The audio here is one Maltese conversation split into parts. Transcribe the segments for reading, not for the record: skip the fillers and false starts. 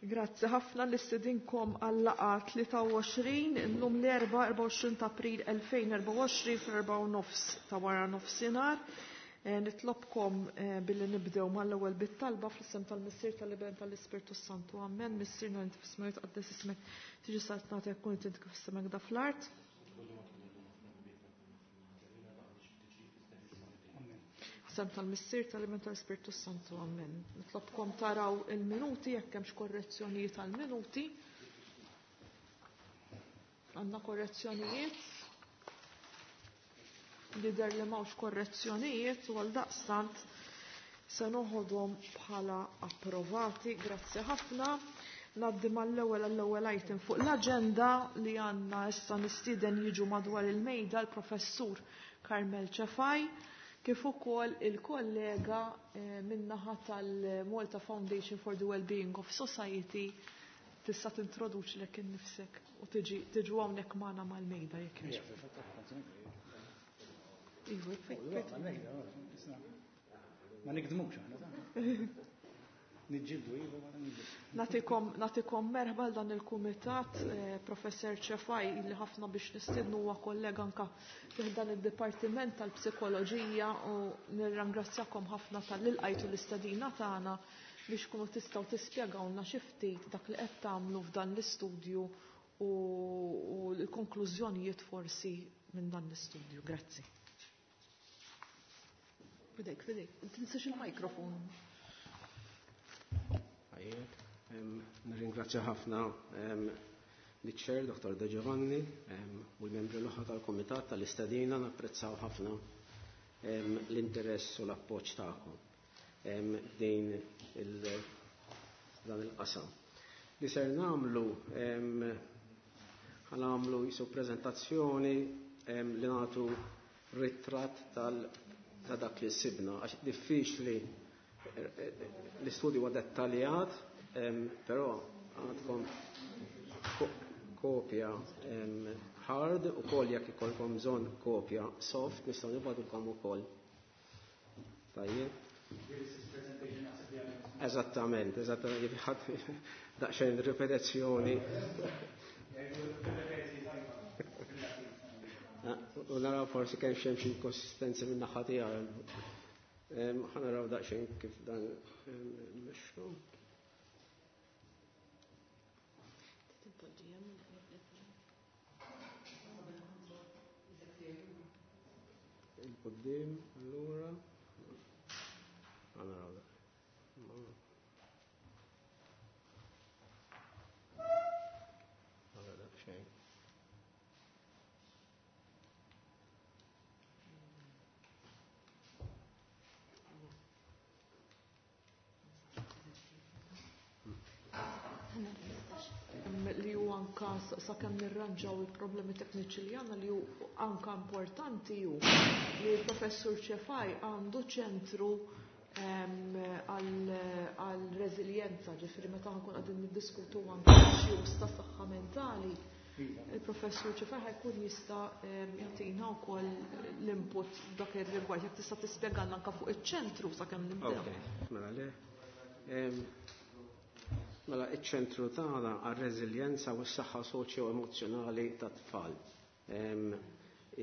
Grazzi ħafna nistedinkom għal-laqgħa 23 illum l-erba' 24 ta' April 2024 fl-4:30 ta' wara nofsinhar. Nitlobkom billi nibdew mal-ewwel bit-talba fl-isem tal-Missier tal-Iben tal-Ispirtu Santu. Amen. Missierna inti fis-smewwiet tqaddes ismek, tiġi saltnatek kun int kif fis-sema da fl-art. Sem tal-Missier tal-Iben tal-Ispirtu Santu. Amen. Nitlobkom taraw il-minuti jekk hemmx korrezzjonijiet tal-minuti. Għandna korrezzjonijiet. Lider li m'hawnx korrezzjonijiet u għaldaqstant se noħodhom bħala approvati. Grazzi ħafna. Naddi mal-ewwel għall-ewwel item fuq l-aġenda li għandna issa nistieden jiġu madwar il-mejda l-Professur Carmel Cefai kif ukoll il-kollega min-naħa tal-Malta Foundation for the Wellbeing of Society tista' tintroduċi lek innifsek u tiġi tiġu hawnhekk magħna mal-mejda jekk jogħġbok. Iva, Ma nikdmux aħna. Niġġieldu iva wara niġġieldu. Nagħtikom nagħtikom merħba dan il-kumitat, Professor Cefai li ħafna biex nistiednu huwa kollega anka fih dan id-Dipartiment tal-Psikoloġija u nirringrazzjakom ħafna talli lqajtu l-istedina tagħna biex kunu tistgħu tispjegawlna xi ftit dak li qed tagħmlu f'dan l-istudju u l-konklużjonijiet forsi minn dan l-istudju. Grazzi. Fidejk, fidejk, tinsax il-mikrofon. Nirringrazzja ħafna liċ-Chair, Dr. De Giovanni, u l-membri l-oħra tal-Kumitat tal-istedina, napprezzaw ħafna l-interess u l-appoġġ tagħkom din dan il-qasam. Li ser nagħmlu ħanamlu jisu prezentazzjoni li nagħtu ritratt ta' dak li sibna, għax diffiċli l-istudju huwa dettaljat, però għandkom kopja hard u kol jekk ikolkom bżonn kopja soft nistgħu nibgħatulkom ukoll. Tajjeb. Eżattament, eżattament, ħadd daqsxejn ripetizzjoni. U naraw forsi kemm xemm xi inkonsistenzi minn naħa tiegħu. Ħa naraw daqsxejn kif dan mexxu. Il-qoddim, allura. Ħa naraw dak. Naraw daqsxejn. Li hu anka sakemm nirranġaw il-problemi tekniċi li għandna li hu anka importanti hu li l-Professur Cefai għandu ċentru għal reżiljenza, ġifieri meta nkun qegħdin niddiskutu anke issues ta' saħħa mentali, il-Professur Cefai ħajkun jista' jagħtina wkoll l-input dak ir-rigward. Jekk tista' tispjegalna anke fuq iċ-ċentru sakemm nibdew. Ok, mela le. Mela iċ-ċentru tagħna għar-reżiljenza u s-saħħa soċjo-emozzjonali tat-tfal.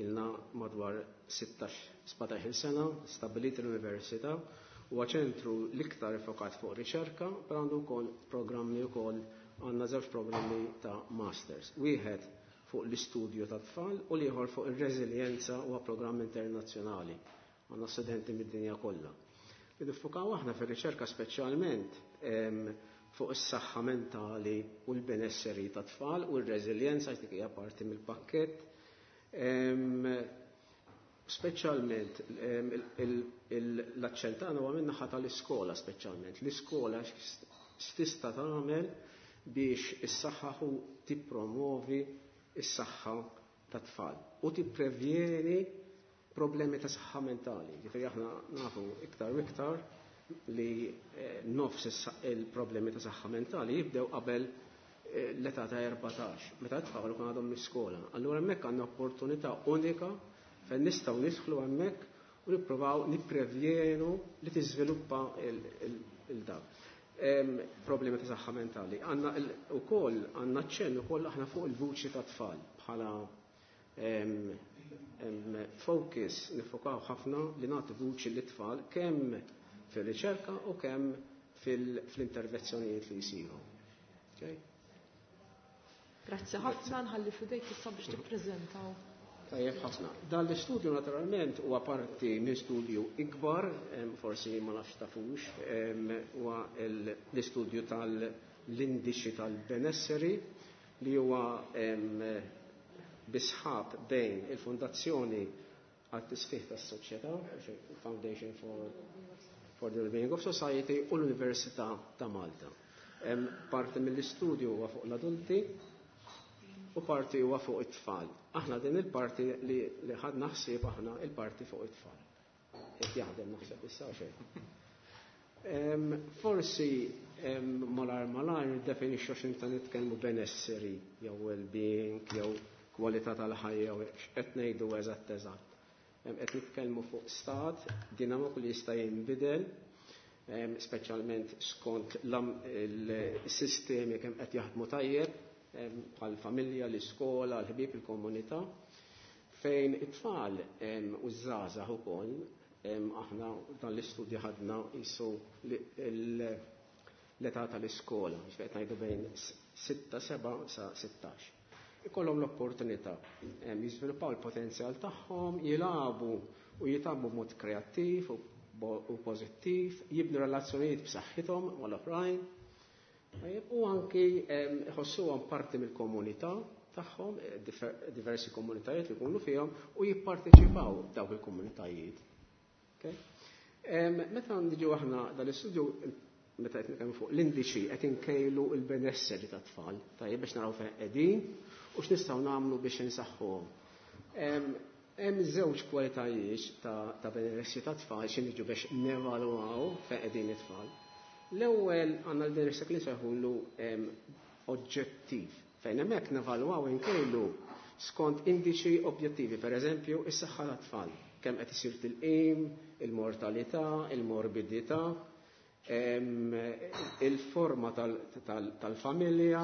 Ilna madwar 16-17 sena stabbilit l-Università huwa ċentru l-iktar fokat fuq riċerka, però għandu wkoll programmi wkoll għandna żewġ programmi ta' masters. Wieħed fuq l-istudju tat-tfal u l-ieħor fuq ir-reżiljenza huwa programm internazzjonali. Għandna studenti mid-dinja kollha. Li niffukaw aħna fir-riċerka speċjalment fuq is-saħħa mentali u l-benesseri tat-tfal u r-reżiljenza dik hija parti mill-pakkett. Speċjalment l-aċċent tagħna huwa min-naħa tal-iskola speċjalment. L-iskola x'tista' tagħmel biex issaħħaħ u tippromovi s-saħħa tat-tfal u tipprevjeni problemi ta' saħħa mentali. Ġifieri aħna nafu iktar u iktar li nofs il-problemi ta' saħħa mentali jibdew qabel l-età ta' 14, meta t-tfal ikun għadhom l-iskola. Allura hemmhekk għandna opportunità unika fejn nistgħu nidħlu hemmhekk u nippruvaw nipprevjenu li tiżviluppa il-dak. Problemi ta' saħħa mentali. Għandna ukoll għandna ċenn ukoll aħna fuq il-vuċi ta' tfal bħala focus nifokaw ħafna li nagħtu vuċi lit-tfal kemm fir-riċerka u kemm fl-intervenzjonijiet li jsiru. Okay? Grazzi ħafna, nħalli fidejk issa biex tippreżentaw. Tajjeb ħafna. Dan l-istudju naturalment huwa parti minn studju ikbar, forsi ma nafx tafux, huwa l-istudju tal-indiċi tal-benesseri li huwa bisħab bejn il-Fondazzjoni għat-Tisħiħ tas-Soċjetà, Foundation for the Wellbeing of Society, u l-Università ta' Malta. Parti mill-istudju huwa fuq l-adulti u parti huwa fuq it-tfal. Aħna din il-parti li ħadna ħsieb aħna il-parti fuq it-tfal. Qed jaħdem naħseb issa xejn. Forsi malar malar niddefinixxu x'inta nitkellmu benesseri jew well-being jew kwalità tal-ħajja jew x'qed ngħidu eżatt eżatt. Qed nitkellmu fuq stat dinamiku li jista' jinbidel, speċjalment skont il-sistemi kemm qed jaħdmu tajjeb, bħal familja, l-iskola, l-ħbieb, il-komunità, fejn it-tfal u ż-żgħażagħ ukoll, aħna dan l-istudju ħadna jisu l-età tal-iskola, qed ngħidu bejn 6, 7 sa 16. Ikollhom l-opportunità jiżviluppaw il-potenzjal tagħhom, jilagħbu u jitgħallmu b'mod kreattiv u pożittiv, jibnu relazzjonijiet b'saħħithom mal-oħrajn, u anki iħossuhom parti mill-komunità tagħhom, diversi komunitajiet li jkunu fihom, u jipparteċipaw dawk il-komunitajiet. Okay? Meta niġu aħna dal-istudju, meta qed nitkellmu fuq l-indiċi, qed inkejlu l-benesseri tat-tfal, tajjeb biex naraw fejn qegħdin u x'nistgħu nagħmlu biex insaħħuhom. Hemm żewġ kwalitajiet ta' benessri tat-tfal xi niġu biex nevalwaw fejn qegħdin it-tfal. L-ewwel għandna l-benessri li nsejħulu oġġettiv, fejn hemmhekk nevalwaw inkejlu skont indiċi objettivi, pereżempju is-saħħa tat-tfal, kemm qed isir tilqim, il-mortalità, il-morbidità, il-forma tal-familja,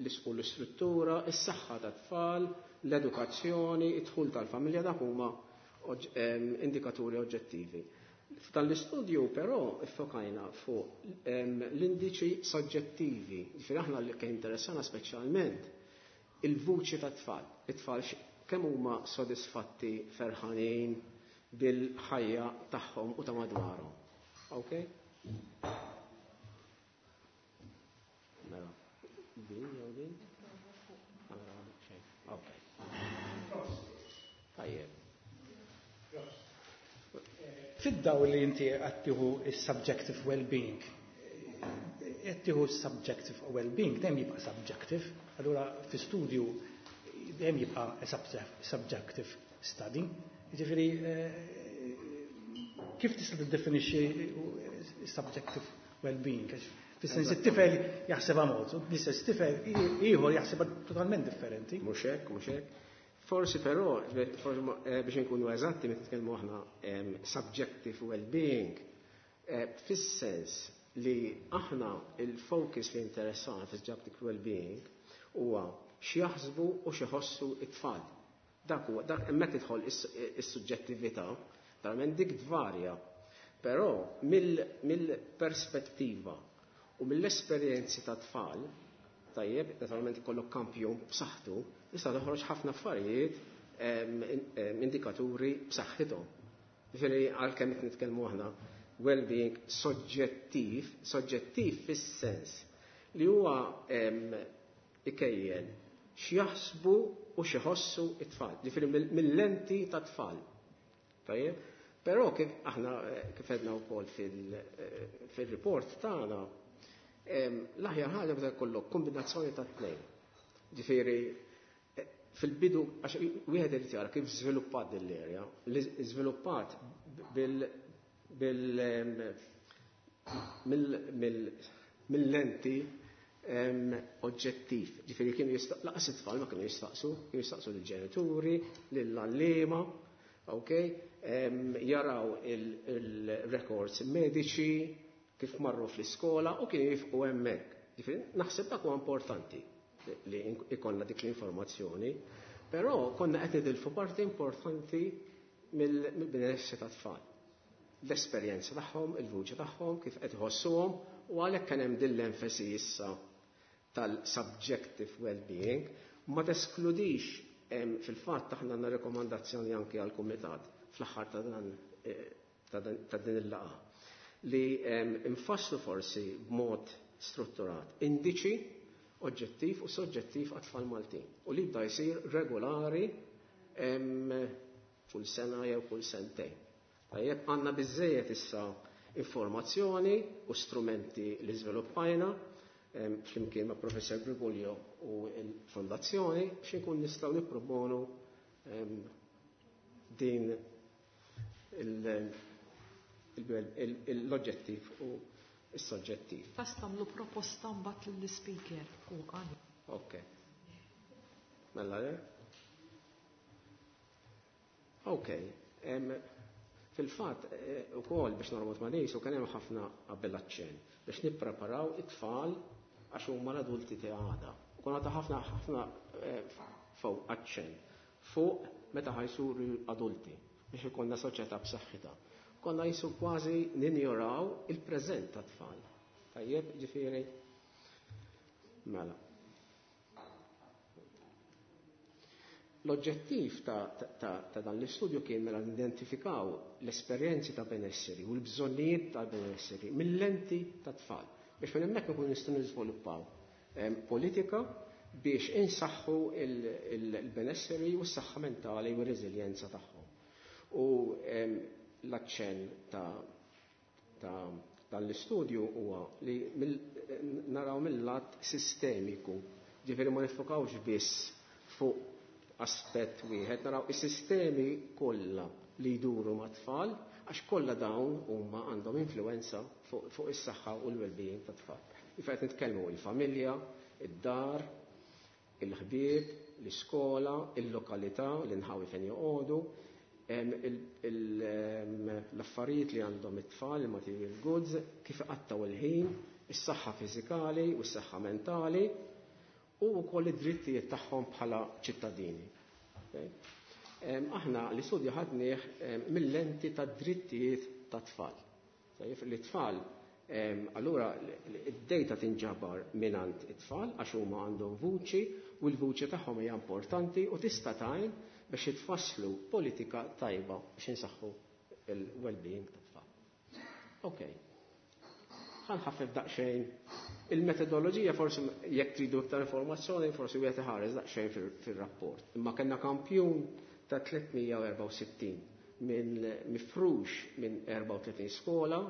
l-istruttura, is-saħħa tat-tfal, l-edukazzjoni, id-dħul tal-familja, dak huma indikaturi oġġettivi. F'dan l-istudju però iffokajna fuq l-indiċi soġġettivi, ġifieri aħna li kien interessana speċjalment il-vuċi tat-tfal, it-tfal kemm huma sodisfatti, ferħanin bil-ħajja tagħhom u ta' madwarhom. Okay? Mela, din jew din? Mela, xejn. Okay. Tajjeb. Fid-dawl li inti qed tieħu is-subjective well-being, qed tieħu s-subjective well-being dejjem jibqa' subjective, allura fi studju dejjem jibqa' subjective study. Jiġifieri kif tista' tiddefinixxi subjective well-being? Fis-sens it-tifel jaħsebha mod, u l-istess tifel ieħor jaħsebha totalment differenti. Mhux hekk, mhux hekk. Forsi però, forsi biex inkunu eżatti meta nitkellmu aħna subjective well-being, fis-sens li aħna il-focus li interessana fis-subjective well-being huwa x'jaħsbu u x'iħossu it-tfal. Dak huwa, dak hemmhekk tidħol is-suġġettività, naturalment dik tvarja. Però mill-perspettiva u mill-esperjenzi ta' tfal, tajjeb, naturalment ikollok kampjun b'saħħtu, tista' toħroġ ħafna affarijiet, indikaturi b'saħħithom. Ġifieri għalkemm qed nitkellmu aħna well-being soġġettiv, soġġettiv fis-sens li huwa ikejjel x'jaħsbu u x'iħossu it-tfal, ġifieri mill-lenti ta' tfal. Tajjeb? Però kif aħna kif għedna wkoll fil-report tagħna, l-aħjar ħaġa meta jkollok kombinazzjoni ta' tnejn. Ġifieri fil-bidu, għax wieħed irid jara kif żviluppat din l-area, li żviluppat mill-lenti oġġettiv. Ġifieri kienu laqas it-tfal ma kienu jistaqsu, kienu jistaqsu lill-ġenituri, lill-għalliema, ok? Jaraw il-records mediċi, kif marru fl-iskola u kienu jifqu hemmhekk. Ġifieri naħseb dak huwa importanti li ikollna dik l-informazzjoni, però konna qed nitilfu parti importanti mill-benessri tat-tfal. L-esperjenza tagħhom, il-vuċi tagħhom, kif qed iħossuhom, u għalhekk kien hemm din l-enfasi issa tal-subjective well-being, ma teskludix fil-fatt aħna għandna rekomandazzjoni anke għall-kumitat fl-aħħar ta' dan ta' din il-laqgħa li nfasslu forsi b'mod strutturat indiċi oġġettiv u soġġettiv għat-tfal Maltin u li jibda jsir regolari kull sena jew kull sentejn. Tajjeb, għandna biżżejjed issa informazzjoni u strumenti li żviluppajna flimkien ma' Professor Briguglio u l-Fondazzjoni biex inkun nistgħu nipproponu din l-oġġettiv u s-soġġettiv. Tas tagħmlu proposta mbagħad lill-ispeaker u għan. Ok. Mela le? Ok. Fil-fatt, ukoll biex norbot ma' nies u kien hemm ħafna qabel aċċenn biex nippreparaw it-tfal għax huma l-adulti ta' għada. U konna ta' ħafna ħafna fuq aċċenn fuq meta ħajsuru adulti biex ikollna soċjetà b'saħħitha. Konna jisu kważi ninjoraw il-preżent tat-tfal. Tajjeb, ġifieri? Mela. L-oġġettiv ta' dan l-istudju kien mela nidentifikaw l-esperjenzi ta' benesseri u l-bżonnijiet ta' benesseri mill-lenti ta' tfal biex minn hemmhekk ikun nistgħu niżviluppaw politika biex insaħħu il-benesseri u s-saħħa mentali u r-reżiljenza tagħhom. U l-aċċenn ta' dan l-istudju huwa li naraw mill-lat sistemiku, ġifieri ma nifokawx biss fuq aspett wieħed, naraw is-sistemi kollha li jduru mat-tfal, għax kollha dawn huma għandhom influenza fuq is-saħħa u l-well-being tat-tfal. Ifa qed nitkellmu il-familja, id-dar, il-ħbieb, l-iskola, il-lokalità, l-inħawi fejn joqogħdu, l-affarijiet li għandhom it-tfal, il-material goods, kif iqattgħu il-ħin, is-saħħa fiżikali u s-saħħa mentali, u wkoll id-drittijiet tagħhom bħala ċittadini. Aħna l-istudju ħadnieh mill-lenti tad-drittijiet tat-tfal. Li tfal, allura id-data tinġabar mingħand it-tfal għax huma għandhom vuċi u l-vuċi tagħhom hija importanti u tista' tgħin biex jitfasslu politika tajba biex insaħħu il-well-being tat-tfal. Ok. Ħanħaffef daqsxejn il-metodoloġija, forsi jekk tridu iktar informazzjoni, forsi wieħed iħares daqsxejn fir-rapport. Imma kellna kampjun ta' 364 minn mifrux minn 34 skola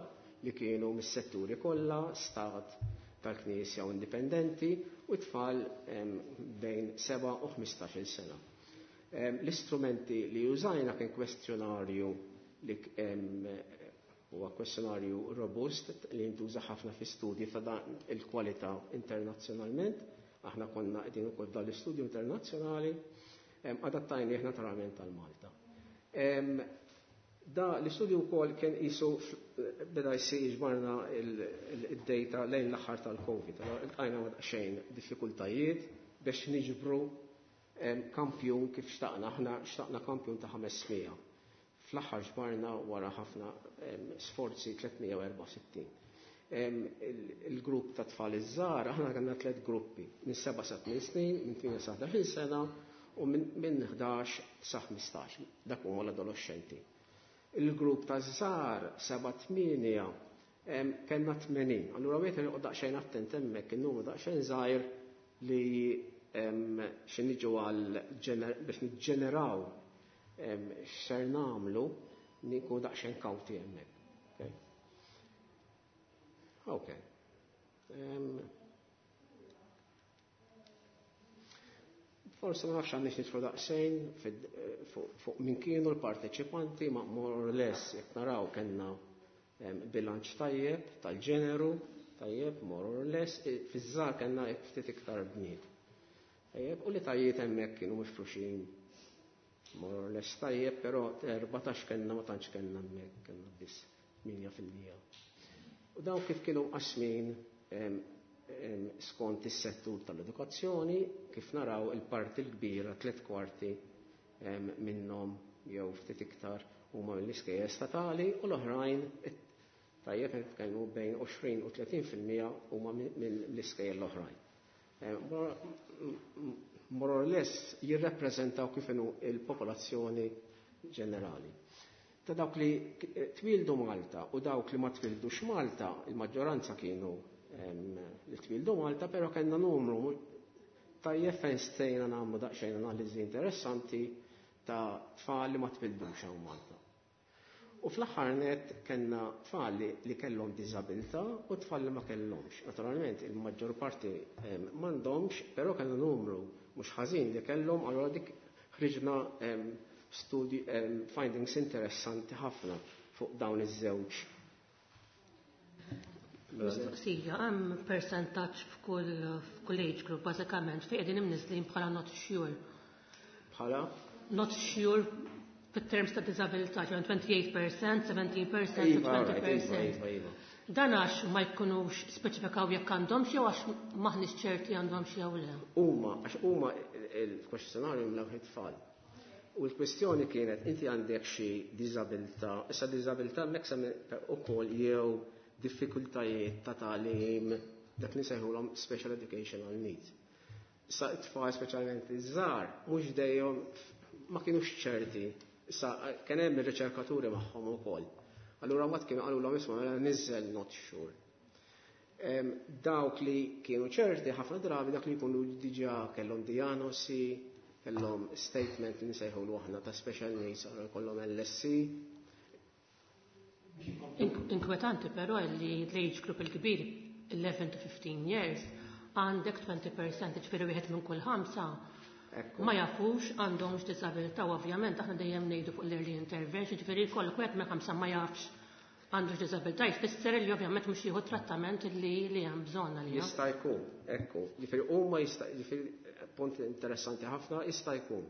li kienu mis-setturi kollha, stat, tal-Knisja u indipendenti, u tfal bejn 7 u 15 sena. L-istrumenti li użajna kien kwestjonarju li huwa kwestjonarju robust li jintuża ħafna fi studji ta' dan il-kwalità internazzjonalment. Aħna konna qegħdin ukoll dan l-istudju internazzjonali, adattajnieh naturalment għal Malta. Da l-istudju wkoll kien qisu beda jsir ġbarna id-data lejn l-aħħar tal-Covid. Allora iltqajna ma' daqsxejn diffikultajiet biex niġbru kampjun kif xtaqna. Aħna xtaqna kampjun ta' 500. Fl-aħħar ġbarna wara ħafna sforzi 364. Il-grupp ta' tfal iż-żgħar, aħna kellna tliet gruppi, minn 7 sa 8 snin, minn 8 sa 11 sena u minn 11 sa 15, dak huma l-adolescenti. Il-grupp ta' żgħar 7 8 kellna 80. Allura wieħed irid daqsxejn attent hemmhekk in-numru daqsxejn żgħir li xi niġu għal biex niġġeneraw x'ser nagħmlu nikun daqsxejn kawti hemmhekk. Ok. Forse ma nafx għandix nidħlu daqsxejn fuq min kienu l-parteċipanti, ma more or less jekk naraw kellna bilanċ tajjeb tal-ġeneru, tajjeb more or less, fiż-żgħar kellna ftit iktar bniet. Tajjeb, u li tajiet hemmhekk kienu mifruxin more or less tajjeb, però 14 kellna ma tantx kellna hemmhekk, kellna biss 8%. U dawn kif kienu mqassmin skont is-settur tal-edukazzjoni, kif naraw il-parti l-kbira, 3/4 minnhom jew ftit iktar huma mill-iskejjel statali u l-oħrajn tajjeb nitkellmu bejn 20 u 30% huma mill-iskejjel l-oħrajn. More or less jirrappreżentaw kif inhu il-popolazzjoni ġenerali. Ta' dawk li twildu Malta u dawk li ma twildux Malta, il-maġġoranza kienu li twildu Malta, però kellna numru tajjeb fejn stejna nagħmlu daqsxejn analiżi interessanti ta' tfal li ma twildux hawn Malta. U fl-aħħar nett kellna tfal li kellhom diżabilità u tfal li ma kellhomx. Naturalment il-maġġor parti m'għandhomx, però kellna numru mhux ħażin li kellhom, allura dik ħriġna studi findings interessanti ħafna fuq dawn iż-żewġ. Mistoqsija, hemm persentaġġ f'kull age group bażikament fejn qegħdin imniżlin bħala not sure. Bħala? Not sure fit-terms ta' disabilità, ġew 28%, 17% u 20%. Iva. Dan għax ma jkunux speċifikaw jekk għandhom jew għax maħniex ċerti għandhom jew le. Huma, għax huma il-kwestjonarju mlaw it-tfal. U l-kwestjoni kienet inti għandek xi diżabilità, issa diżabilità hemmhekk ukoll jew diffikultajiet ta' tagħlim dak li nsejħulhom special educational needs. Issa t-tfal speċjalment iż-żgħar mhux dejjem ma kienux ċerti. Issa kien hemm ir-riċerkaturi magħhom ukoll. Allura mbagħad kienu qalulhom isma' mela niżżel not sure. Dawk li kienu ċerti ħafna drabi dak li jkunu diġà kellhom diagnosi, kellhom statement li nsejħulu aħna ta' special needs, allura jkollhom LSC. Inkwetanti però li l-age group il-kbir 11 to 15 years għandek 20%, ġifieri wieħed minn kull 5 ma jafux għandhomx disabilità, u ovvjament aħna dejjem ngħidu fuq l-early intervention, ġifieri jkollok wieħed minn 5 ma jafx għandux disabilità, jfisser li ovvjament mhux jieħu trattament li hemm bżonn għalih. Jista' jkun, ekku, ġifieri huma jista', ġifieri punt interessanti ħafna, jista' jkun.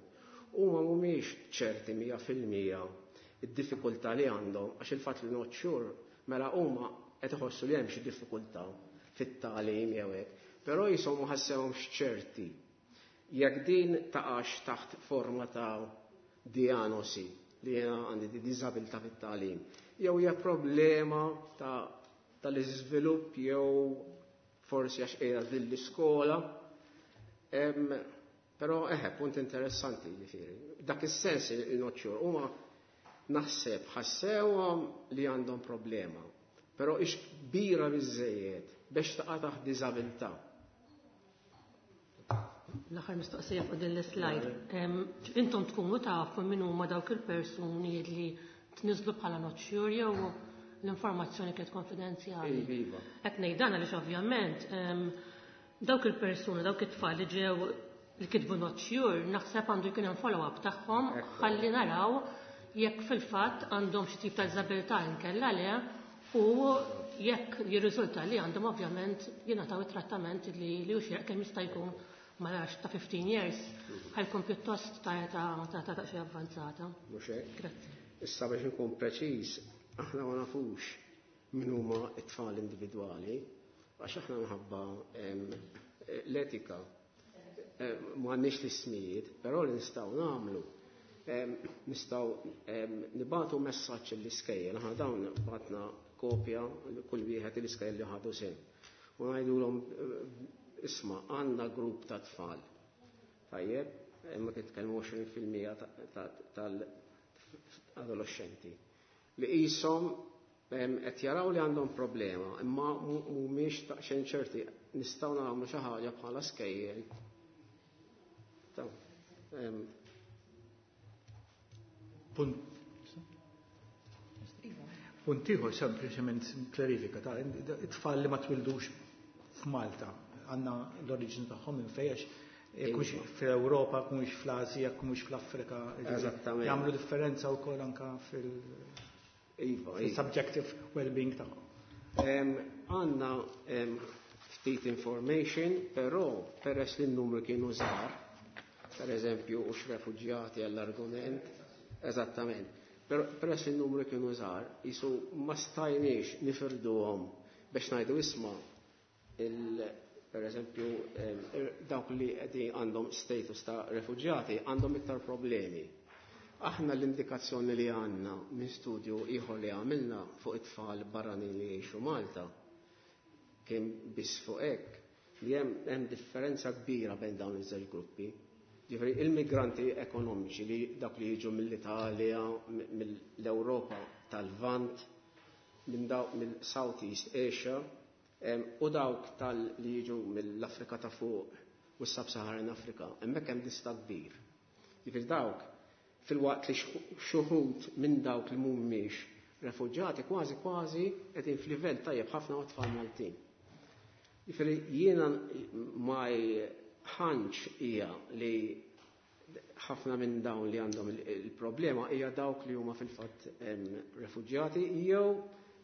Huma mhumiex ċerti 100% id-diffikultà li għandhom, għax il-fatt li not sure, mela huma qed iħossu li hemm xi diffikultà fit-tagħlim jew hekk, però jisom ma ħassewhomx ċerti. Jekk din taqax taħt forma ta' diagnosi li jiena għandi di diżabilità fit-tagħlim, jew hija problema tal-iżvilupp jew forsi għax qiegħda din l-iskola. Però eħe, punt interessanti ġifieri. Dak is-sens il-not sure huma naħseb ħassewhom li għandhom problema, però ix kbira biżżejjed biex taqa' taħt diżabilità. L-aħħar mistoqsija fuq din l-slide. Intom tkunu tafu min huma dawk il-persuni li tniżlu bħala not sure jew l-informazzjoni kienet konfidenzjali. Iva. Qed ngħid dan għaliex ovvjament dawk il-persuni, dawk it-tfal li ġew li kitbu not sure, naħseb għandu jkun hemm follow-up tagħhom ħalli naraw jekk fil-fatt għandhom xi tip ta' diżabilità inkella le, u jekk jirriżulta li għandhom ovvjament jingħataw it-trattament li hu xieraq kemm jista' jkun ma nafx ta' 15 years ħajkun pjuttost ta' età ta' xi avvanzata. Mhux hekk? Grazzi. Issa biex inkun preċiż, aħna ma nafux min huma t-tfal individwali, għax aħna minħabba l-etika ma għandniex l-ismijiet, però li nistgħu nagħmlu nistgħu nibagħtu messaġġ lill-iskejjel, aħna dawn bagħtna kopja kull wieħed l-iskejjel li ħadu sehem. U ngħidulhom isma' għandna grupp ta' tfal. Tajjeb, imma titkellmu 20% tal-adolescenti li qishom qed jaraw li għandhom problema, imma mhumiex daqsxejn ċerti nistgħu nagħmlu xi ħaġa bħala skejjel. Punt ieħor sempliċement klarifika ta' it-tfal li ma twildux f'Malta għandna l-oriġini tagħhom minn fejn, għax jekk mhux fl-Ewropa, jekk mhux fl-Asja, jekk mhux fl-Afrika, jiġifieri jagħmlu differenza wkoll anke fil-subjective well-being tagħhom. Għandna ftit information, però peress li n-numru kienu żgħar, per eżempju, hux refuġjati għall-argument, eżattament. Però peress li n-numru kienu żgħar, jisu ma stajniex nifirduhom biex ngħidu isma' per eżempju dawk li qegħdin għandhom status ta' refuġjati għandhom iktar problemi. Aħna l-indikazzjoni li għandna minn studju ieħor li għamilna fuq it-tfal barranin li jgħixu Malta kien biss fuq hekk li hemm differenza kbira bejn dawn iż-żewġ gruppi. Ġifieri il-migranti ekonomiċi li dak li jiġu mill-Italja, mill-Ewropa tal-Lvant, minn dawk mill-Southeast Asia, u dawk tal li jiġu mill-Afrika ta' fuq u s-Sub-Saharan Afrika, hemmhekk hemm distakk kbir. Ġifieri dawk filwaqt li xi wħud minn dawk li mhumiex refuġjati kważi kważi qegħdin f'livell tajjeb ħafna ma' tfal Maltin. Ġifieri jiena my hunch hija li ħafna minn dawn li għandhom il-problema hija dawk li huma fil-fatt refuġjati jew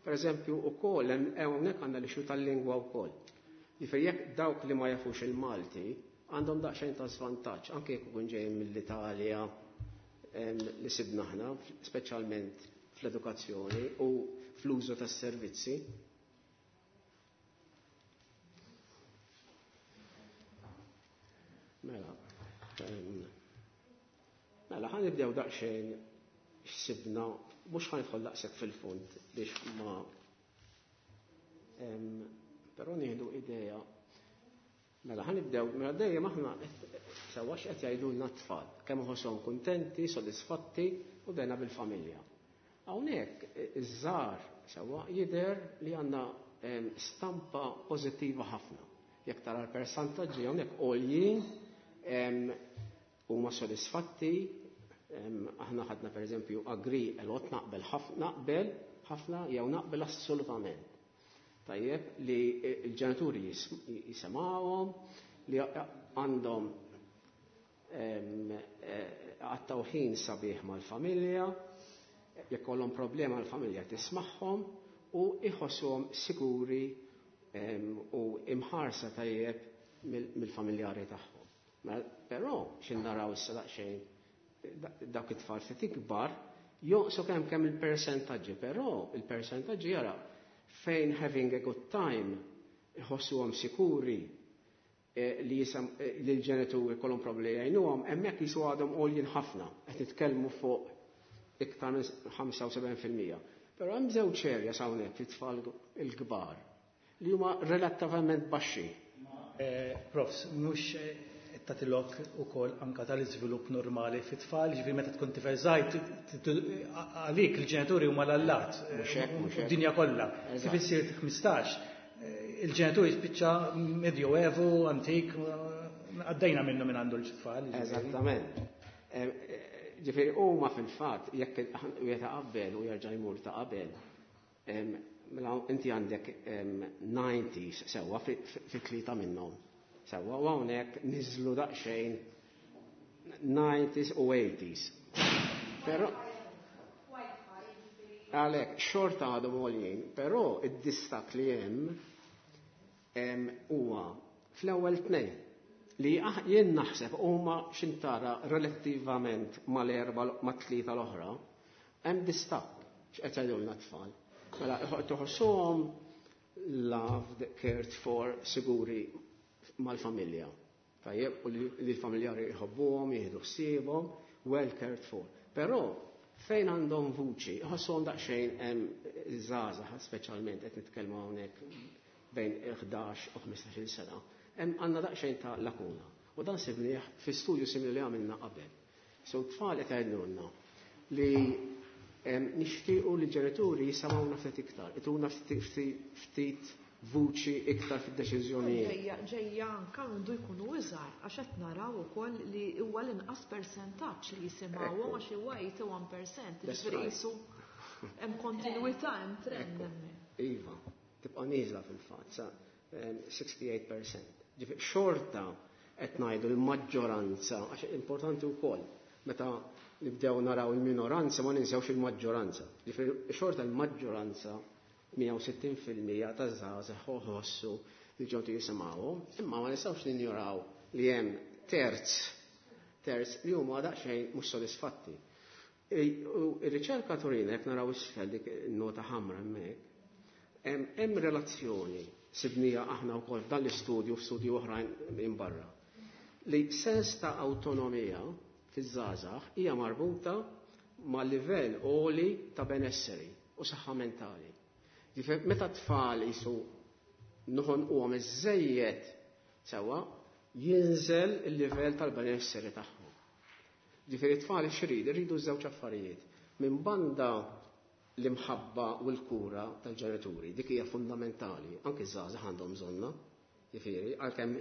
per eżempju ukoll hawnhekk għandna l-issue tal-lingwa wkoll. Ġifieri jekk dawk li ma jafux il-Malti għandhom daqsxejn ta' żvantaġġ anke jekk ikun ġejjin mill-Italja li sibna aħna, speċjalment fl-edukazzjoni u fl-użu tas-servizzi. Mela, mela ħa nibdew daqsxejn x'sibna, mhux ħa nidħol daqshekk fil-fond biex ma però nieħdu idea. Mela ħa nibdew, mela dejjem aħna sewwa x'qed jgħidulna t-tfal, kemm iħosshom kuntenti, sodisfatti u dejna bil-familja. Hawnhekk iż-żgħar sewwa jidher li għandna stampa pożittiva ħafna. Jekk tara l-persentaġġi hawnhekk għoljin huma sodisfatti, aħna ħadna pereżempju agree a lot, naqbel ħafna, naqbel ħafna jew naqbel assolutament. Tajjeb li l-ġenituri jisimgħuhom, li għandhom għattaw ħin sabiħ mal-familja, jekk kollhom problema l-familja tismagħhom u iħossuhom siguri u imħarsa tajjeb mill-familjari tagħhom. Però x'in naraw issa daqsxejn dawk it-tfal ftit ikbar jonqsu kemm il-persentaġġi, però il-persentaġġi jara fejn having a good time iħossuhom sikuri li jisam li l-ġenituri kollhom problemi jgħinuhom, hemmhekk jisu għadhom għoljin ħafna, qed nitkellmu fuq iktar minn 75%. Però hemm żewġ areas hawnhekk it-tfal il-kbar li huma relattivament baxxi. Profs, mhux tagħtilok ukoll anka tal-iżvilupp normali fit-tfal, ġifieri meta tkun tifel żgħir għalik il-ġenituri huma l-allat, Mhux hekk, mhux hekk. id-dinja kollha. Kif issir 15, il-ġenituri spiċċa medjoevu, antik, għaddejna minnu minn għandu l-tfal. Eżattament. Ġifieri huma fil-fatt jekk wieħed ta' qabel u jerġa' jmur ta' qabel, mela inti għandek 90s sewwa fi tlieta minnhom. Sewwa u hawnhekk niżlu daqsxejn 90s u 80s. Però għalhekk xorta għadhom għoljin, però id-distakk li hemm huwa fl-ewwel tnejn li jien naħseb huma xintara relattivament mal-erba' mat-tlieta l-oħra, hemm distakk x'qed jgħidulna t-tfal. Mela toħossuhom loved, cared for, siguri mal-familja. Tajjeb, u li l-familjari jħobbuhom, jieħdu ħsiebhom, well cared for. Però fejn għandhom vuċi, ħossuhom daqsxejn hemm żgħażagħ, speċjalment qed nitkellmu hawnhekk bejn 11 u 15-il sena, hemm għandna daqsxejn ta' lakuna. U dan sibnieh fi studju simili li għamilna qabel. So tfal qed jgħidulna li nixtiequ li ġenituri jisimgħuna ftit iktar, ituna ftit vuċi iktar fid-deċiżjonijiet. Ġejja, ġejja anka għandu jkunu iżgħar, għax qed naraw ukoll li huwa l-inqas persentaġġ li jisimgħuhom għax huwa 81%, That's ġifieri right. qisu hemm kontinwità, hemm trend hemmhekk. Iva, tibqa' nieżla fil-fatt, sa 68%. Ġifieri xorta qed ngħidu l-maġġoranza, għax importanti wkoll meta nibdew naraw il-minoranza ma ninsewx il-maġġoranza. Ġifieri xorta l-maġġoranza 160% ta' żgħażagħ ħossu li ġew jisimgħuhom, imma ma nistgħux ninjoraw li hemm terz li huma daqsxejn mhux sodisfatti. U r-riċerka turina jekk naraw isfel dik nota ħamra hemmhekk, Hemm relazzjoni sibnija aħna wkoll f'dan l-istudju, f'studju oħrajn minn barra, li sens ta' awtonomija fiż-żgħażagħ hija marbuta ma' livell għoli ta' benesseri u saħħa mentali. Ġifieri meta tfal jisu noħonquhom iżżejjed sewwa, jinżel il-livell tal-benesseri tagħhom. Ġifieri tfal x'iridu? Iridu żewġ affarijiet. Minn banda l-imħabba u l-kura tal-ġenituri, dik hija fundamentali, anki ż-żgħażagħ għandhom bżonnha, ġifieri, għalkemm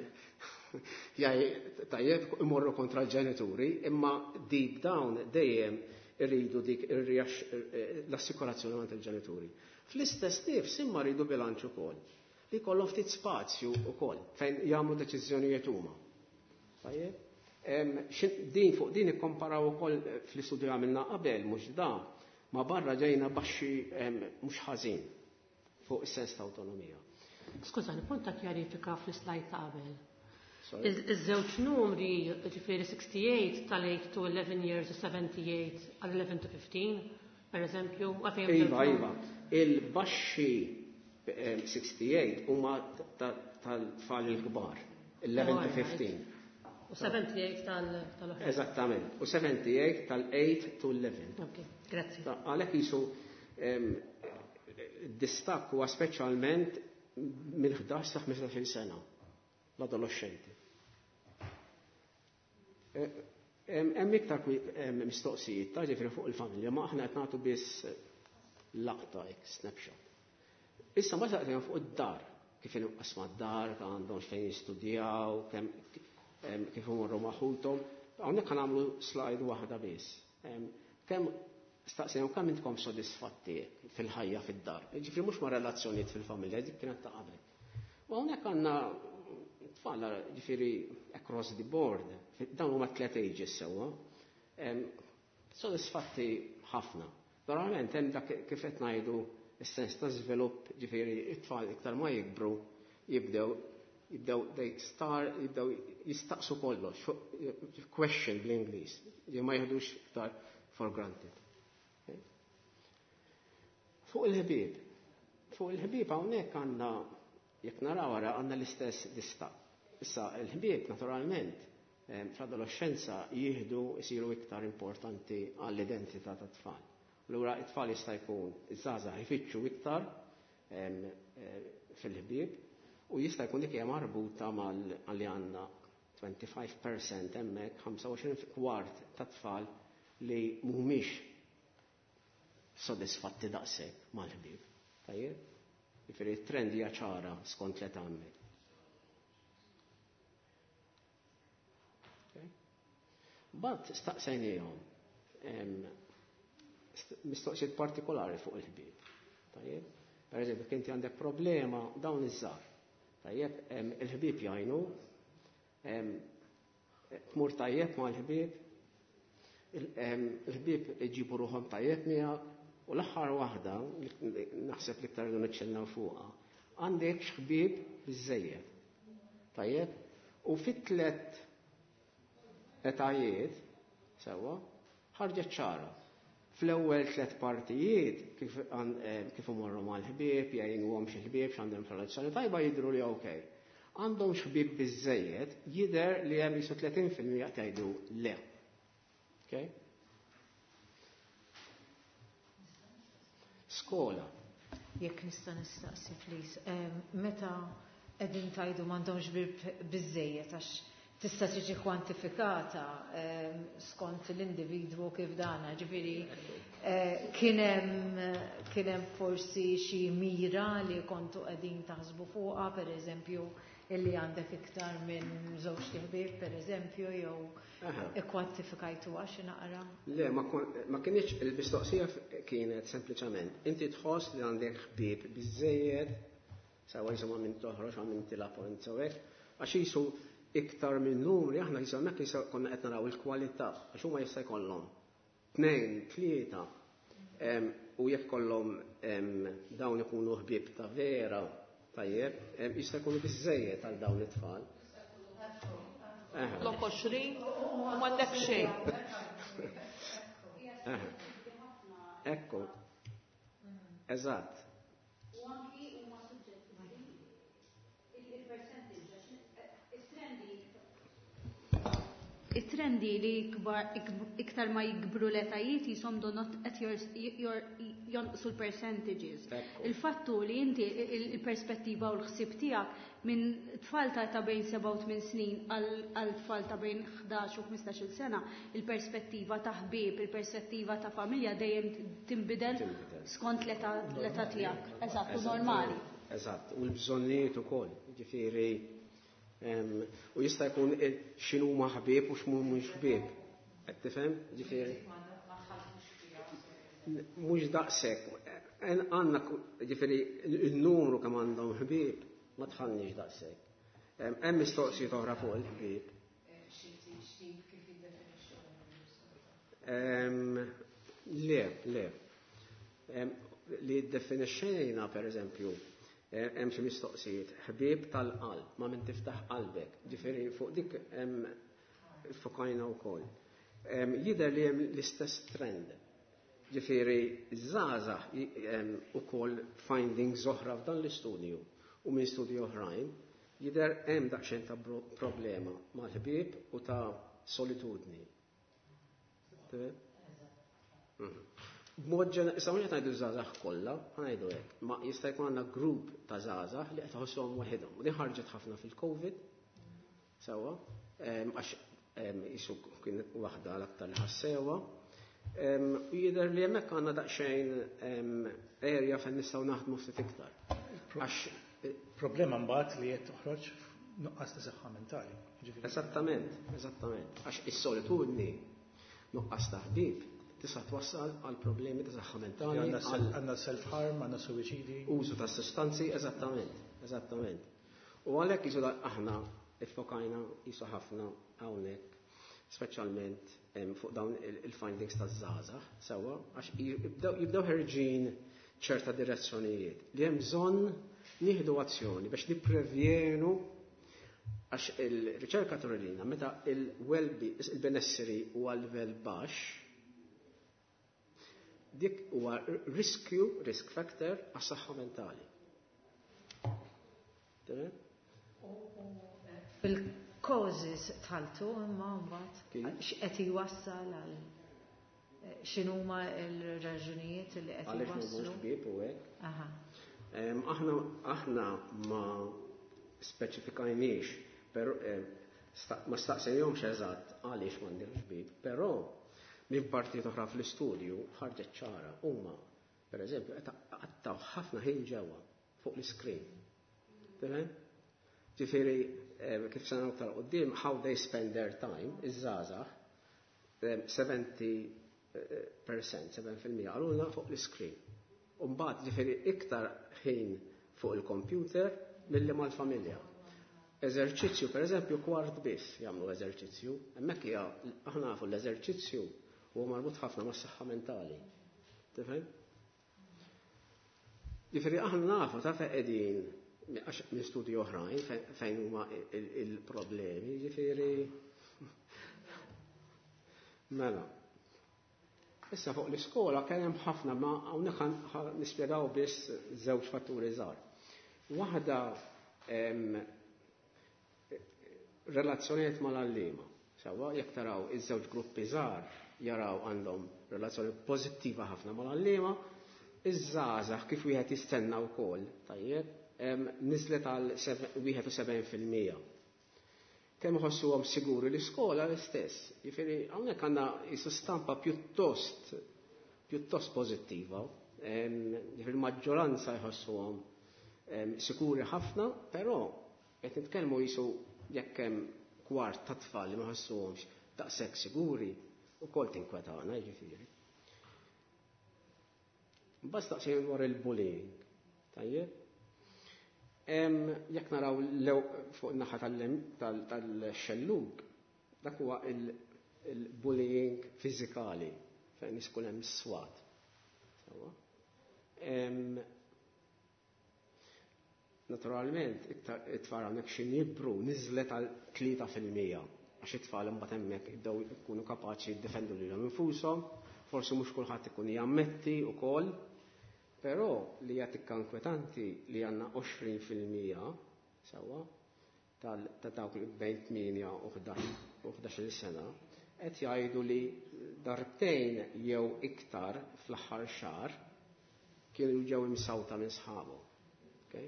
jaj tajjeb imorru kontra l-ġenituri, imma deep down dejjem irridu dik l-assikurazzjoni għand il-ġenituri. Fl-istess nifs imma rridu bilanċ ukoll, li jkollhom ftit spazju ukoll fejn jagħmlu deċiżjonijiet huma. Tajjeb? Din fuq din ikkomparaw ukoll fl-istudju għamilna qabel mhux da, ma barra ġejna baxxi mhux ħażin fuq is-sens ta' awtonomija. Skużani, punt ta' kjarifika fl-slide ta' qabel. Sorry. Iż-żewġ numri, ġifieri 68 tal-8 to 11 years u 78 għal 11 to 15, per eżempju, għalfejn hemm Iva, żewġ iva. numri. Il-baxxi 68 huma tal-tfal il-kbar, 11 to 15. U 78 tal-oħra. Eżattament. U 78 tal-8 to 11. Ok, grazzi. Għalhekk jisu distakk huwa speċjalment mill-11 sa 15 sena l-adolescenti. Hemm iktar mistoqsijiet ta' ġifieri fuq il-familja, ma aħna qed nagħtu biss laqta hekk snapshot. Issa ma saqsejna fuq id-dar, kif inqasma d-dar, għandhom fejn jistudjaw, kif imorru ma' ħuthom. Hawnhekk nagħmlu slide waħda biss. Kemm staqsejna kemm intkom sodisfatti fil-ħajja fid-dar. Ġifieri mhux ma' relazzjonijiet fil-familja, dik kienet ta' qabel. U hawnhekk għandna tfal ġifieri across the board, dawn huma tliet ages sewwa. Sodisfatti ħafna. Verament hemm dak kif qed ngħidu is-sens ta' żvilupp, ġifieri it-tfal iktar ma jikbru jibdew they start, jibdew jistaqsu kollox, question bl-Ingliż, li ma jieħdux iktar for granted. Okay? Fuq il-ħbieb. Fuq il-ħbieb hawnhekk għandna, jekk naraw wara, għandna l-istess distakk. Issa il-ħbieb naturalment fl-adolescenza jieħdu jsiru iktar importanti għall-identità tat-tfal. Allura it-tfal jista' jkun iż-żgħażagħ ifittxu iktar fil-ħbieb u jista' jkun dik hija marbuta mal li għandna 25% hemmhekk, 25 kwart tat-tfal li mhumiex sodisfatti daqshekk mal-ħbieb. Tajjeb? Jiġifieri t-trend hija ċara skont l-età hemmhekk. Bat staqsejniehom mistoqsijiet partikolari fuq il-ħbieb. Tajjeb? Per eżempju, inti għandek problema dawn iż-żgħar. Tajjeb, il-ħbieb jgħinu, tmur tajjeb mal-ħbieb, il-ħbieb iġibu ruħhom tajjeb miegħek, u l-aħħar waħda, naħseb li iktar niċċennaw fuqha, għandek x'ħbieb biżżejjed. Tajjeb? U fit-tliet etajiet, sewwa, ħarġet ċara. Fl-ewwel tliet partijiet kif imorru mal-ħbieb, jgħinuhom xi ħbieb x'għandhom relazzjoni tajba jidhru li okej. Għandhom x'ħbieb biżżejjed, jidher li hemm jisu 30% tgħidu le. Okay? Skola. Jekk nista' nistaqsi, please. Meta qegħdin tgħidu m'għandhomx ħbieb biżżejjed għax tista' tiġi kwantifikata skont l-individwu kif dana, ġifieri, kien hemm forsi xi mira li kontu qegħdin taħsbu fuqha, per eżempju, illi għandek iktar minn żewġ ħbieb, per eżempju, jew ikkwantifikajtu għax naqra? Le, ma kienx il-mistoqsija kienet sempliċement inti tħoss li għandek ħbieb biżżejjed, sewa jisimha minn toħroġ għal minn tilab u hekk, għax jisu iktar minn numri, aħna jisu hemmhekk jisu konna qed naraw il-kwalità, għax huma jista' jkollhom 2, 3, u jekk kollhom dawn ikunu ħbieb ta' vera, tajjeb, jista' jkunu biżżejjed għal dawn it-tfal. Lok 20 u m'għandek xejn. Ekku. Eżatt. U anki It-trendi li iktar ma jikbru l-etajiet jisom donot qed jonqsu l-percentages. Il-fattu li inti il-perspettiva u l-ħsieb tiegħek minn tfal ta' bejn 7 u 8 snin għal tfal ta' bejn 11 u 15-il sena, il-perspettiva ta' ħbieb, il-perspettiva ta' familja dejjem tinbidel skont l-età tiegħek. Eżatt, normali. Eżatt, u l-bżonnijiet ukoll, ġifieri u jista' jkun x'inhu ma ħbieb u x'mhumiex ħbieb. Qed tifhem? Ġifieri. Mhux daqshekk. Għandna ġifieri n-numru kemm għandhom ħbieb ma tħallniex daqshekk. Hemm mistoqsijiet oħra fuq il-ħbieb. Le, le. Li ddefinixxejna pereżempju hemm xi mistoqsijiet, ħbieb tal-qalb, ma' min tiftaħ qalbek. Ġifieri fuq dik hemm fokajna wkoll. Jidher li hemm l-istess trend. Ġifieri żgħażagħ ukoll findings oħra f'dan l-istudju u minn studji oħrajn jidher hemm daqsxejn ta' problema mal-ħbieb u ta' solitudni. B'mod ġenerali, issa mhux qed ngħidu żgħażagħ kollha, ngħidu hekk, ma jista' jkun għandna grupp ta' żgħażagħ li qed iħossuhom waħedhom. U din ħarġet ħafna fil-COVID, sewwa, għax jisu kien waħda l-aktar li ħassewha. U jidher li hemmhekk għandna daqsxejn area fejn nistgħu naħdmu ftit iktar. Għax problema mbagħad li qed toħroġ nuqqas ta' saħħa mentali. Eżattament, eżattament. Għax is-solitudni nuqqas ta' ħbieb tista' twassal għal problemi ta' saħħa mentali. Għandna self-harm, għandna suwiċidi. Użu ta' sustanzi, eżattament, eżattament. U għalhekk jisu aħna iffokajna jisu ħafna hawnhekk, speċjalment fuq dawn il-findings taż-żgħażagħ, sewwa, għax jibdew ħerġin ċerta direzzjonijiet li hemm bżonn nieħdu azzjoni biex nipprevjenu għax il-riċerka turilina meta il-benesseri huwa livell baxx, dik huwa riskju, risk factor għas-saħħa mentali. Fil-causes tħaltu imma mbagħad x'qed jwassal għal x'inhuma l-raġunijiet li qed Għaliex jwasslu. ħbieb u hekk. Aħna ma speċifikajniex, però ma staqsejhomx eżatt għaliex m'għandhomx ħbieb, però minn partijiet oħra fl-istudju ħarġet ċara huma, pereżempju, qed qattaw ħafna ħin ġewwa fuq l-iskrin. Tifhem? Ġifieri kif se naraw aktar quddiem, how they spend their time, iż-żgħażagħ, 70%, 7% qalulna fuq l-iskrin. U mbagħad ġifieri iktar ħin fuq il-computer milli mal-familja. Eżerċizzju, pereżempju, kwart biss jagħmlu eżerċizzju. Hemmhekk hija aħna nafu l-eżerċizzju huwa marbut ħafna mas-saħħa mentali. Tifhem? Ġifieri aħna nafu ta' fejn qegħdin għax minn studji oħrajn fejn huma il-problemi, ġifieri. Mela. Issa fuq l-iskola kien hemm ħafna ma hawnhekk nispjegaw biss żewġ fatturi żgħar. Waħda relazzjonijiet mal-għalliema. Sewwa jekk taraw iż-żewġ gruppi żgħar jaraw għandhom relazzjoni pożittiva ħafna mal-għalliema, iż-żgħażagħ kif wieħed jistenna wkoll, tajjeb, niżlet għal 71%. Kemm iħossuhom siguri l-iskola l-istess. Jiġifieri hawnhekk għandna jisu stampa pjuttost pożittiva. Jiġifieri l-maġġoranza jħossuhom sikuri ħafna, però qed nitkellmu jisu jekk hemm kwart ta' tfal li ma jħossuhomx daqshekk siguri, ukoll tinkwetana, jiġifieri. Mbagħad staqsejna dwar il-bullying. Tajjeb? Jekk naraw fuq in-naħa tal-xellug, dak huwa il-bullying fiżikali fejn ikun hemm is-swat. Sewwa? Naturalment, it-tfal hawnhekk xi jikbru niżlet għal 3% għax it-tfal imbagħad hemmhekk jibdew ikunu kapaċi jiddefendu lilhom infushom, forsi mhux kulħadd ikun jammetti wkoll, però li hija tikka inkwetanti li għandna 20% sewwa. ta' dawk li bejn 8 u 11 sena qed jgħidu li darbtejn jew iktar fl-aħħar xahar kienu ġew imsawta minn sħabhom. Okay?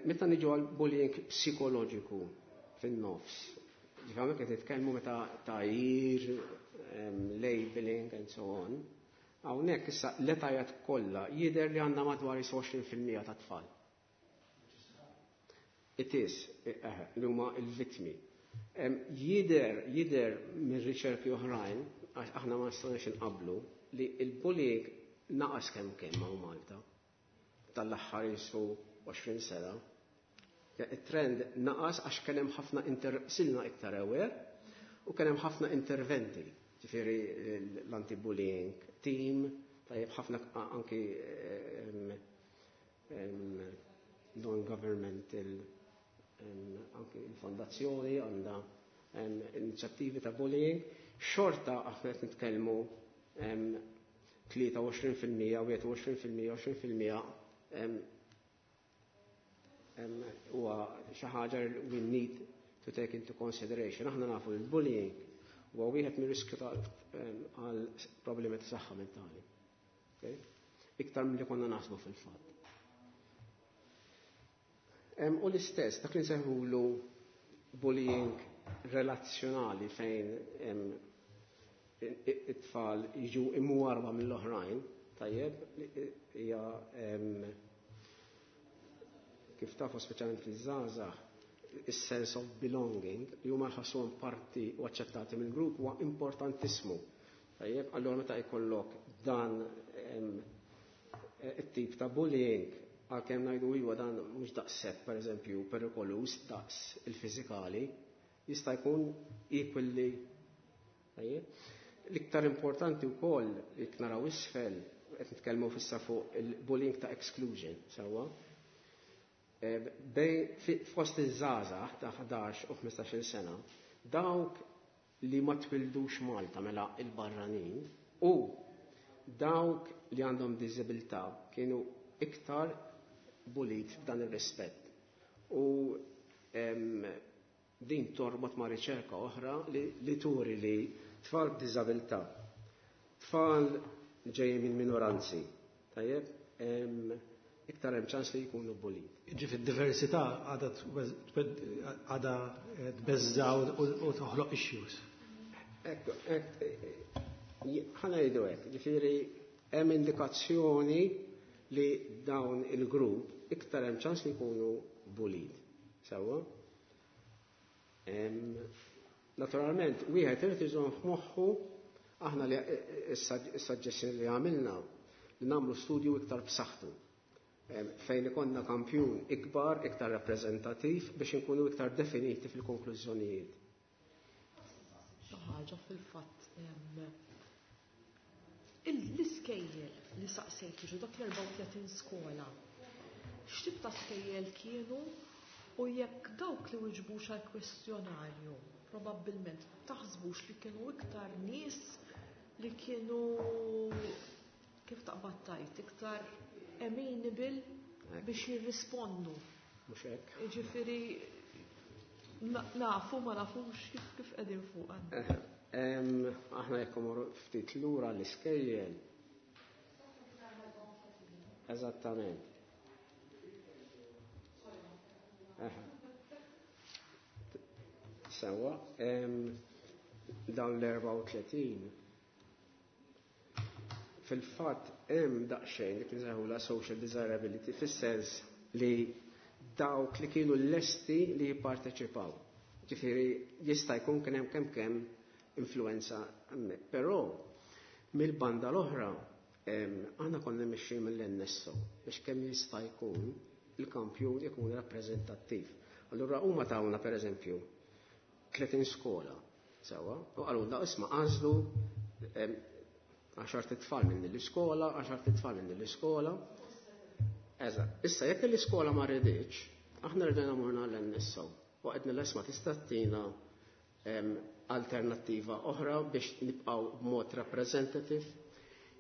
Meta niġu għal bullying psikoloġiku fin-nofs, ġifieri qed nitkellmu meta tgħajjir, labeling and so on, hawnhekk issa l-etajiet kollha jidher li għandna madwar 20% ta' tfal. It is, li huma l-vittmi. Jidher minn riċerki oħrajn, għax aħna ma nistgħux inqablu, li l-bullying naqas kemm kemm hawn Malta tal-aħħar jisu 20 sena. Il-trend naqas għax kien hemm ħafna silna iktar aware u kien hemm ħafna interventi. Ġifieri l-anti-bullying team, tajjeb ħafna anki non-governmental, anki il-fondazzjoni għandha inizjattivi ta' bullying. Xorta aħna qed nitkellmu 23%, 21%, 20% huwa xi ħaġa we need to take into consideration. Aħna nafu li l-bullying huwa wieħed mir-riskju għal problemi ta' saħħa mentali. Okay? Iktar milli konna naħsbu fil-fatt. U l-istess, dak li nsejħulu bullying relazzjonali fejn it-tfal jiġu imwarba mill-oħrajn, tajjeb, hija kif tafu speċjalment fiż-żgħażagħ, is-sense of belonging li huma jħossuhom parti u aċċettati mill-grupp huwa importantissimu. Tajjeb, allura meta jkollok dan it-tip ta' bullying, għalkemm ngħidu iwa dan mhux daqshekk pereżempju perikoluż daqs il-fiżikali, jista' jkun equally. Tajjeb. L-iktar importanti wkoll jekk naraw isfel qed nitkellmu fissa fuq il-bullying ta' exclusion, sewwa. Fost iż-żgħażagħ ta' 11 u 15-il sena, dawk li ma twildux Malta mela il-barranin u dawk li għandhom diżabilità kienu iktar bullied f'dan ir-rispett. U din torbot ma' riċerka oħra li turi li tfal b'diżabilità, tfal ġejjin minn minoranzi, tajjeb, iktar hemm ċans li jkunu bullied. Ġifieri diversità għadha tbeżża u toħloq issues. Ekku, ħa ngħidu hekk, ġifieri hemm indikazzjoni li dawn il-grupp iktar hemm ċans li jkunu bullied. Sewwa? Naturalment, wieħed irid iżomm f'moħħu aħna li s-suggestioni li għamilna li nagħmlu studju iktar b'saħħtu fejn ikonna kampjun ikbar, iktar rappreżentattiv biex inkunu iktar definiti fil-konklużjonijiet. Xi ħaġa fil-fatt l-iskejjel li saqsejt ġu dak l-34 skola, x'tip ta' skejjel kienu u jekk dawk li wiġbux għal kwestjonarju probabbilment taħsbux li kienu iktar nies li kienu kif taqbad tajt iktar amenable biex jirrispondu. Mhux hekk. Ġifieri nafu ma nafux kif qegħdin fuq. Aħna jekk imorru ftit lura l-iskejjel. Eżattament. Sewwa, dawn l-34 fil-fatt hemm daqsxejn dik li la social desirability fis-sens li dawk li kienu lesti li jipparteċipaw. Ġifieri jista' jkun kien hemm kemm kemm influenza hemmhekk. Però mill-banda l-oħra aħna konna mixjin mill-NSO biex kemm jista' jkun il-kampjun ikun rappreżentattiv. Allura huma tawna pereżempju 30 skola sewwa u qalulna isma' għażlu 10 tfal minn l-iskola, 10 tfal minn l-iskola. Eżatt. Issa jekk l-iskola ma rriditx, aħna rridna morna l-NSO. U għedna l-isma tista' tina alternattiva oħra biex nibqgħu b'mod representative.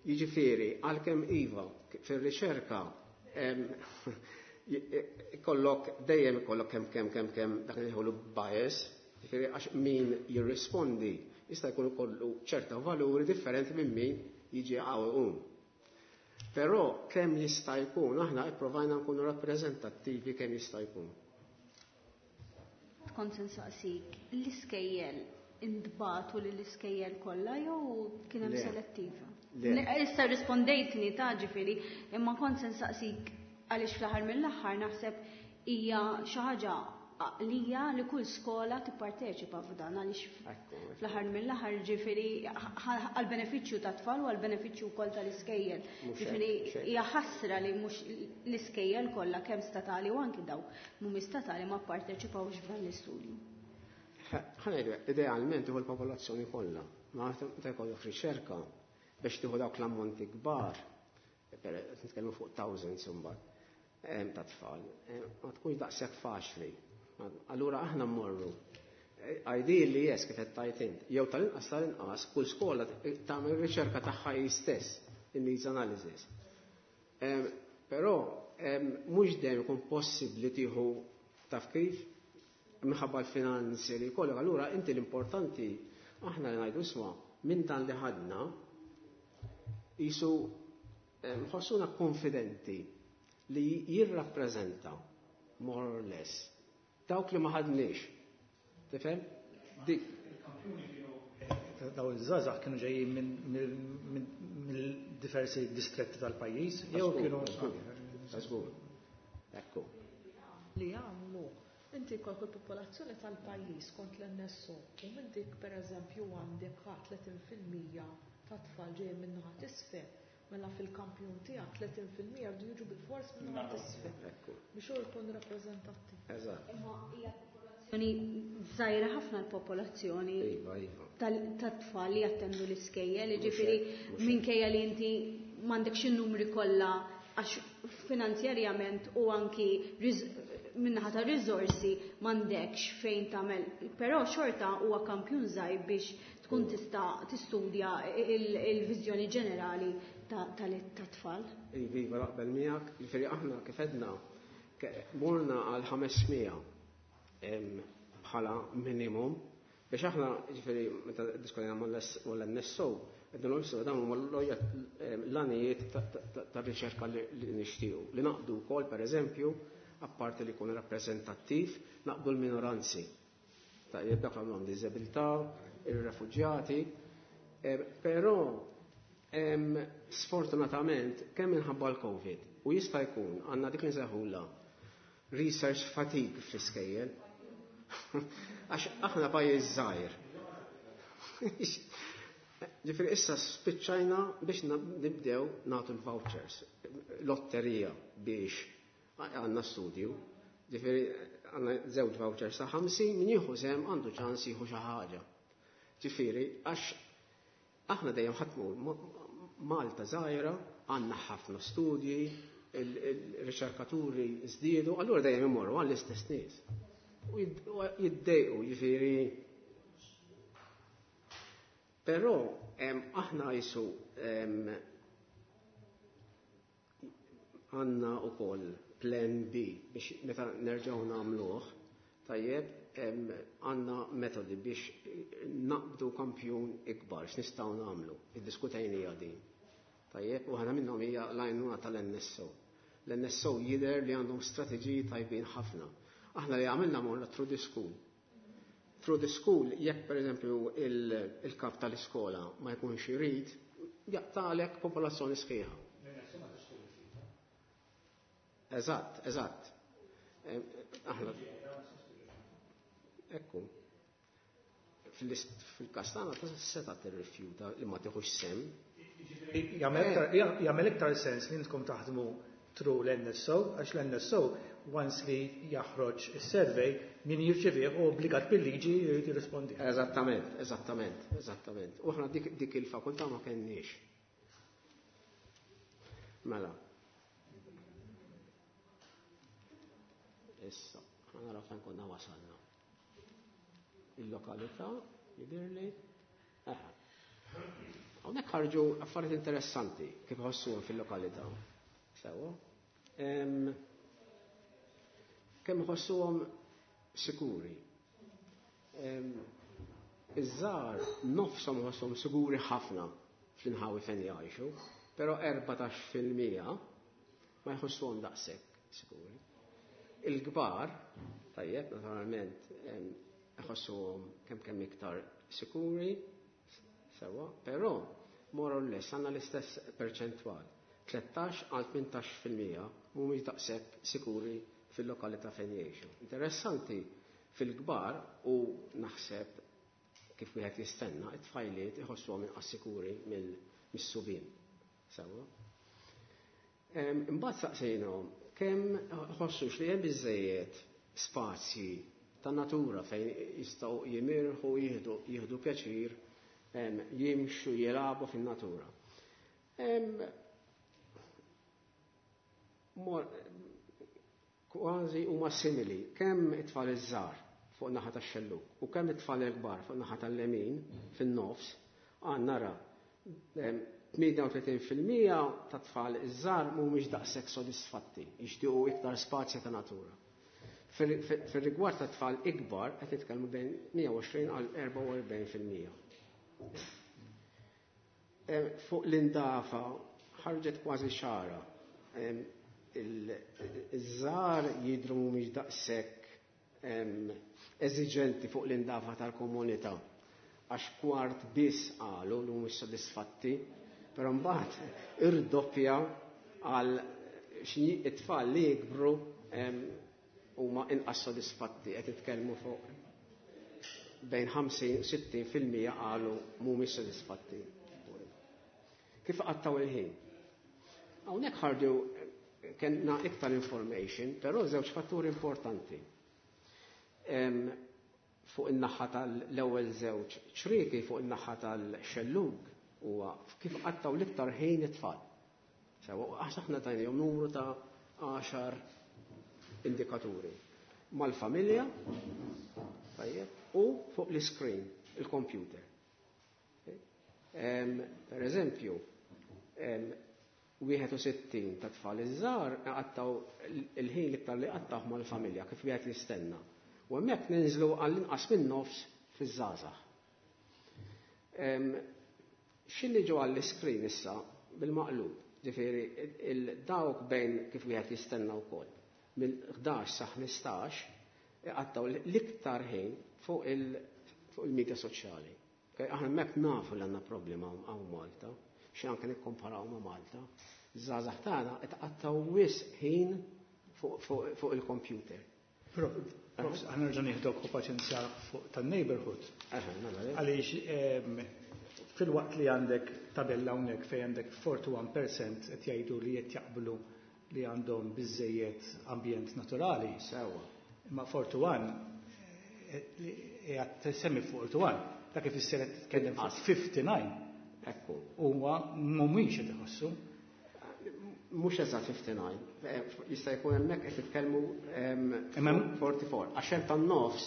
Jiġifieri, għalkemm iva fir-riċerka. Ikollok dejjem ikollok kemm kemm kemm kemm dak li jħollu bias, jiġifieri għax min jirrispondi jista' jkun ikollu ċerta valuri differenti minn min jiġi hawn. Però kemm jista' jkun aħna ipprovajna nkunu rappreżentattivi kemm jista' jkun. Kont se nsaqsik, l-iskejjel intbagħtu lill-iskejjel kollha jew kien hemm selettiva? Issa rispondejtni ta' ġifieri, imma kont se nsaqsik għaliex fl-aħħar mill-aħħar naħseb hija xi ħaġa għaqlija li kull skola tipparteċipa f'dan għaliex fl-aħħar mill-aħħar ġifieri għall-benefiċċju tat-tfal u għall-benefiċċju wkoll tal-iskejjel. Ġifieri hija ħasra li mhux l-iskejjel kollha kemm statali u anki dawk mhumiex statali ma pparteċipawx f'dan l-istudju. Ħa ngħidu idealment tieħu l-popolazzjoni kollha, ma meta jkollok riċerka biex tieħu dawk l-ammonti kbar, nitkellmu fuq thousands imbagħad ta' tfal, ma tkunx daqshekk faċli. Allura aħna mmorru. Ideally yes, kif qed tgħid int, jew tal-inqas tal-inqas kull skola tagħmel riċerka tagħha hi stess, in-needs analysis. Però mhux dejjem ikun possibbli tieħu taf kif minħabba l-finanzi li jkollok, allura inti l-importanti aħna li ngħidu isma' minn dan li ħadna qisu nħossuna konfidenti li jirrappreżenta more or less dawk li ma ħadniex. Tifhem? Dik. Daw iż-żgħażagħ kienu ġejjin minn diversi distretti tal-pajjiż jew kienu Żgur. Ekku. Li għamlu inti jkollok il-popolazzjoni tal-pajjiż kont l-NSO u minn dik pereżempju għandek 30% ta' tfal ġejjin minn naħa t'isfel, mela fil-kampjun tiegħek 30% jridu jiġu bil-fors minn naħa t'isfel. Biex hu jkun rappreżentattiv. Eżatt. Imma hija popolazzjoni żgħira ħafna l-popolazzjoni Iva, iva. tat-tfal li jattendu l-iskejjel, jiġifieri minkejja li inti m'għandekx in-numri kollha għax finanzjarjament u anki minnaħa ta' riżorsi m'għandekx fejn tagħmel, però xorta huwa kampjun żgħir biex tkun tista' tistudja il-viżjoni ġenerali tat-tfal. Iva, iva, naqbel miegħek, jiġifieri aħna kif għedna morna għal 500 bħala minimum biex aħna jiġifieri meta ddiskutejna mal-NSO qed nagħmlu dawn huma l-għanijiet tar-riċerka li nixtiequ. Li naqdu wkoll pereżempju, apparti li jkun rappreżentattiv, naqdu l-minoranzi. Tajjeb dak għandhom diżabilità, ir-refuġjati, però sfortunatament kemm minħabba l-Covid u jista' jkun għandna dik li nsejħulha research fatigue fl-iskejjel. Għax aħna pajjiż żgħir. Ġifieri issa spiċċajna biex nibdew nagħtu l-vouchers, lotterija biex għandna studju. Ġifieri għandna żewġ vouchers ta' 50 min jieħu sehem għandu ċans jieħu xi ħaġa. Ġifieri għax aħna dejjem ħatmu Malta żgħira, għandna ħafna studji, il-riċerkaturi żdiedu, allura dejjem imorru għall-istess nies. U jiddejqu, ġifieri. Però aħna jisu għandna wkoll plan B biex meta nerġgħu nagħmluh, tajjeb, għandna metodi biex naqbdu kampjun ikbar, x'nistgħu nagħmlu, iddiskutejnija din. Tajjeb, u ħana minnhom hija l-għajnuna tal-NSO. L-NSO jidher li għandhom strateġiji tajbin ħafna. Aħna li għamilna morna through the school. Through the school, jekk per eżempju il-kap tal-iskola ma jkunx irid, jaqtalek popolazzjoni sħiħa. Eżatt, eżatt. Aħna. Ekku. Fil-kastana ta' seta tirrifjuta li ma tieħux sem. Jagħmel iktar sens li intkom taħdmu through l-NSO, għax l-NSO once li jaħroġ is-survey min jirċevih u obbligat bil-liġi jrid jirrispondi. Eżattament, eżattament, eżattament. U aħna dik il-fakultà ma kenniex. Mela. Issa, ħa naraw fejn konna wasalna. Il-lokalità, jidhirli. Aha. Hawnhekk ħarġu affarijiet interessanti kif ħossuhom fil-lokalità. Sewa. Kemm iħossuhom sikuri. Iż-żgħar nofshom iħossuhom siguri ħafna fl-inħawi fejn jgħixu, però 14% ma jħossuhom daqshekk sikuri. Il-kbar, tajjeb, naturalment, iħossuhom kemm kemm iktar sikuri, sewwa, però more or less għandna l-istess perċentwal. 13 għal 18% mhumiex daqshekk sikuri fil-lokalità fejn jgħixu. Interessanti fil-kbar u naħseb kif wieħed jistenna, it-tfajliet iħossuhom inqas sikuri mis-subien. Sewwa. Imbagħad saqsejnhom kemm ħossux li hemm biżejjed spazji ta' natura fejn jistgħu jimirħu, jieħdu pjaċir, jimxu, jilagħbu fin-natura. Kważi huma simili kemm it-tfal iż-żgħar fuq naħa tax-xellug u kemm it-tfal il-kbar fuq naħa tal-lemin fin-nofs, għandna nara 38% ta' tfal iż-żgħar mhumiex daqshekk sodisfatti, jixtiequ iktar spazji ta' natura. Fir-rigward ta' tfal ikbar qed nitkellmu bejn 120 għal 44%. Fuq l-indafa ħarġet kważi xara. Iż-żgħar jidhru mhumiex daqshekk eżiġenti fuq l-indafa tal-komunità, għax kwart biss qalu li mhumiex sodisfatti, però mbagħad irdoppja għal xi it-tfal li jikbru huma inqas sodisfatti, qed nitkellmu fuq bejn 50 u 60% qalu mhumiex sodisfatti. Kif qattaw il-ħin? Hawnhekk ħarġu kellna iktar information, però żewġ fatturi importanti. Fuq in-naħa tal-ewwel żewġ ċrieki fuq in-naħa tal-xellug huwa kif qattaw l-iktar ħin it-tfal. Sewa, għax aħna tajnihom numru ta' 10 indikaturi. Mal-familja, tajjeb, u fuq l-screen, il-computer. Per eżempju, 61 ta' tfal iż-żgħar qattaw il-ħin l-iktar li qattaw mal-familja kif wieħed jistenna. U hemmhekk ninżlu għall-inqas minn nofs fiż-żgħażagħ. X'inhi ġew għall-iskrin issa bil-maqlub, ġifieri dawk bejn kif wieħed jistenna wkoll minn 11 sa 15 iqattaw l-iktar ħin fuq il-medja soċjali. Aħna hemmhekk nafu li għandna problema hawn Malta, xi anke nikkomparaw ma' Malta. Iż-żgħażagħ tagħna qed iqattaw wisq ħin fuq il-computer. Prof, aħna nerġa' nieħdok u paċenzja fuq tan-neighborhood. Għaliex fil-waqt li għandek tabella hawnhekk fejn għandek 41% qed jgħidu li qed jaqblu li għandhom biżejjed ambjent naturali. Sewwa. Imma 41 qed semmi 41, dak ifisser qed titkellem fuq 59. Ekku. Huwa mhumiex qed iħossu. Mhux eżatt 59, jista' jkun hemmhekk qed titkellmu 44, għax hemm tan-nofs.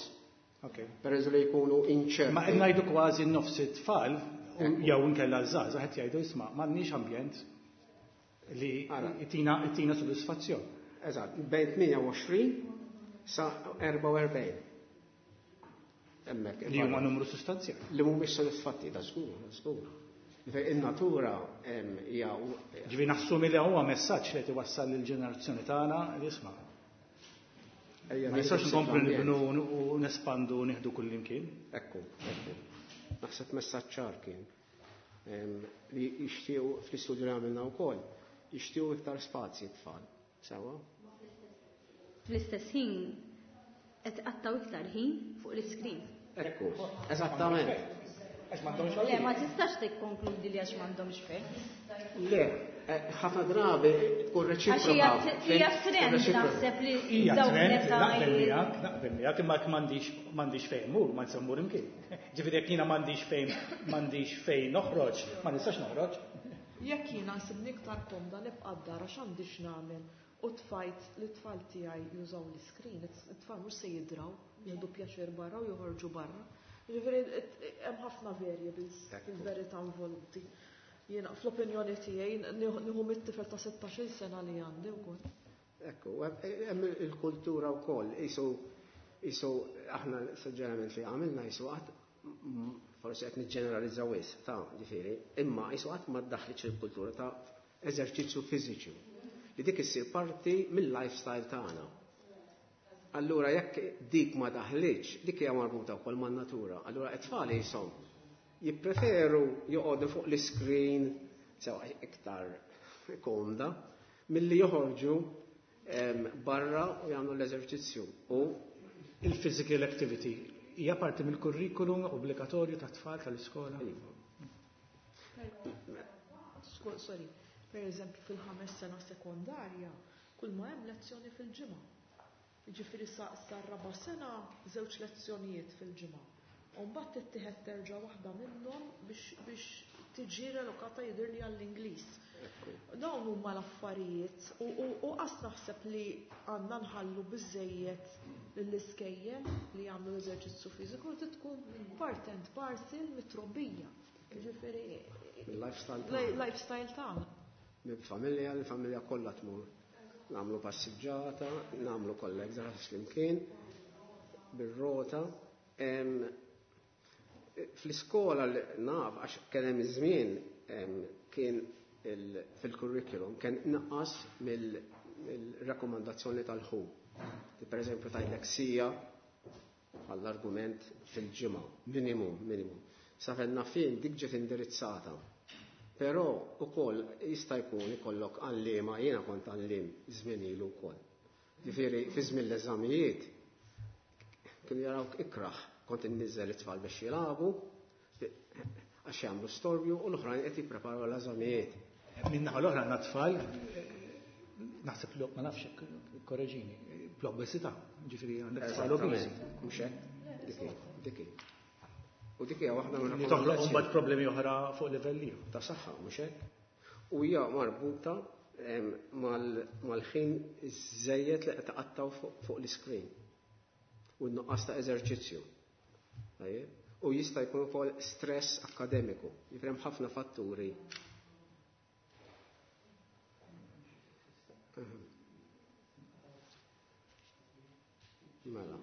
Per eżempju li jkunu inċerti. Ma qed ngħidu kważi nofs it-tfal jew inkella l-żgħażagħ qed jgħidu isma' m'għandniex ambjent li jtina sodisfazzjon. Eżatt, bejn 28 sa 44. Hemmhekk. Li huma numru sostanzjali. Li mhumiex sodisfatti, da żgur, żgur. In-natura hija Ġifieri naħsumi li huwa messaġġ li qed iwassal lill-ġenerazzjoni tagħna li isma'. Ejja, Ma nistax nieħdu nkomplu l-ambjent. nibnu u nespandu u nieħdu kull imkien. Ekku, ekku. Naħseb messaġġ ċar kien. Li jixtiequ fl-istudju li għamilna wkoll, jixtiequ iktar spazji t-tfal. Sewwa? Fl-istess ħin qed qattaw iktar ħin fuq l-iskrin. Ekku, eżattament. Għax m'għandhomx Le, għalih. ma tistax tikkonkludi li għax m'għandhomx fejn. Le, ħafna drabi tkun Għax reċiproka. hija trend Reċiproka. naħseb li Hija dawk trend, l-età naqbel miegħek, naqbel miegħek, imma jekk m'għandix fejn mur, ma nista' mmur imkien. Ġifieri jekk jiena m'għandix fejn noħroġ, ma nistax noħroġ. Jekk jiena nsibni iktar komda nibqa' d-dar għax għandi x'nagħmel u tfajt li t-tfal tiegħi jużaw l-iskrin, it-tfal mhux se jidraw, jieħdu pjaċir barra u joħorġu barra. Ġifieri hemm ħafna variables fil-verità involuti. Jiena fl-opinjoni tiegħi nieħu mit-tifel ta' 16-il sena li għandi wkoll. Ekku, hemm il-kultura wkoll, qisu aħna suġġerament li għamilna qisu qatt forsi qed niġġeneralizza wisq ta' ġifieri, imma qisu qatt ma ddaħħlitx il-kultura ta' eżerċizzju fiżiċi li dik issir parti mill-lifestyle tagħna. Allura jekk dik ma daħlitx, dik hija marbuta wkoll man-natura. Allura t-tfal jisom jippreferu joqogħdu fuq l-iskrin sewa iktar komda milli joħorġu barra u jagħmlu l-eżerċizzju. U il-physical activity hija parti mill-kurrikulum obbligatorju tat-tfal tal-iskola? Iva. Sorry, per eżempju fil-5 sena sekondarja, kull ma hemm lezzjoni fil-ġimgħa. Jiġifieri sa raba' sena 2 lezzjonijiet fil-ġimgħa. U mbagħad tittieħed terġa' waħda minnhom biex tiġi relokata jidhirli għall-Ingliż. Dawn huma l-affarijiet u qas naħseb li għandna nħallu biżejjed lill-iskejjel li jagħmlu eżerċizzju fiżiku li tkun part and parcel mit-trobbija. Jiġifieri il-lifestyle tagħna. Lifestyle tagħna. Mill-familja, l-familja kollha tmur. Nagħmlu passiġġata, nagħmlu kollha exercise flimkien, bir-rota. Fl-iskola naf għax kien hemm żmien kien fil-curriculum kien inqas mill-rakkomandazzjoni tal-ħu. Per eżempju tgħidlek sija għall-argument fil-ġimgħa, minimum, minimum. Sa fejn naf jien dik ġiet indirizzata. Però ukoll jista' jkun ikollok għalliema, jiena kont għalliem żmien ilu wkoll. Ġifieri fi żmien l-eżamijiet kienu jarawk ikraħ, kont inniżżel it-tfal biex jilagħbu għax jagħmlu storbju u l-oħrajn qed jippreparaw l-eżamijiet. Min-naħa l-oħra għandna tfal, naħseb li ma nafx korreġini, bl-obesità, ġifieri għandek tfal obesi. Mhux hekk? Dik hi. U dik hija waħda minn Li toħloq imbagħad problemi oħra fuq livell ieħor. Ta' saħħa, mhux hekk? U hija marbuta mal-ħin żejjed li qed taqattaw fuq l-iskrin u n-nuqqas ta' eżerċizzju. Tajjeb? U jista' jkun ukoll stress akkademiku. Jiġifieri hemm ħafna fatturi. Mela.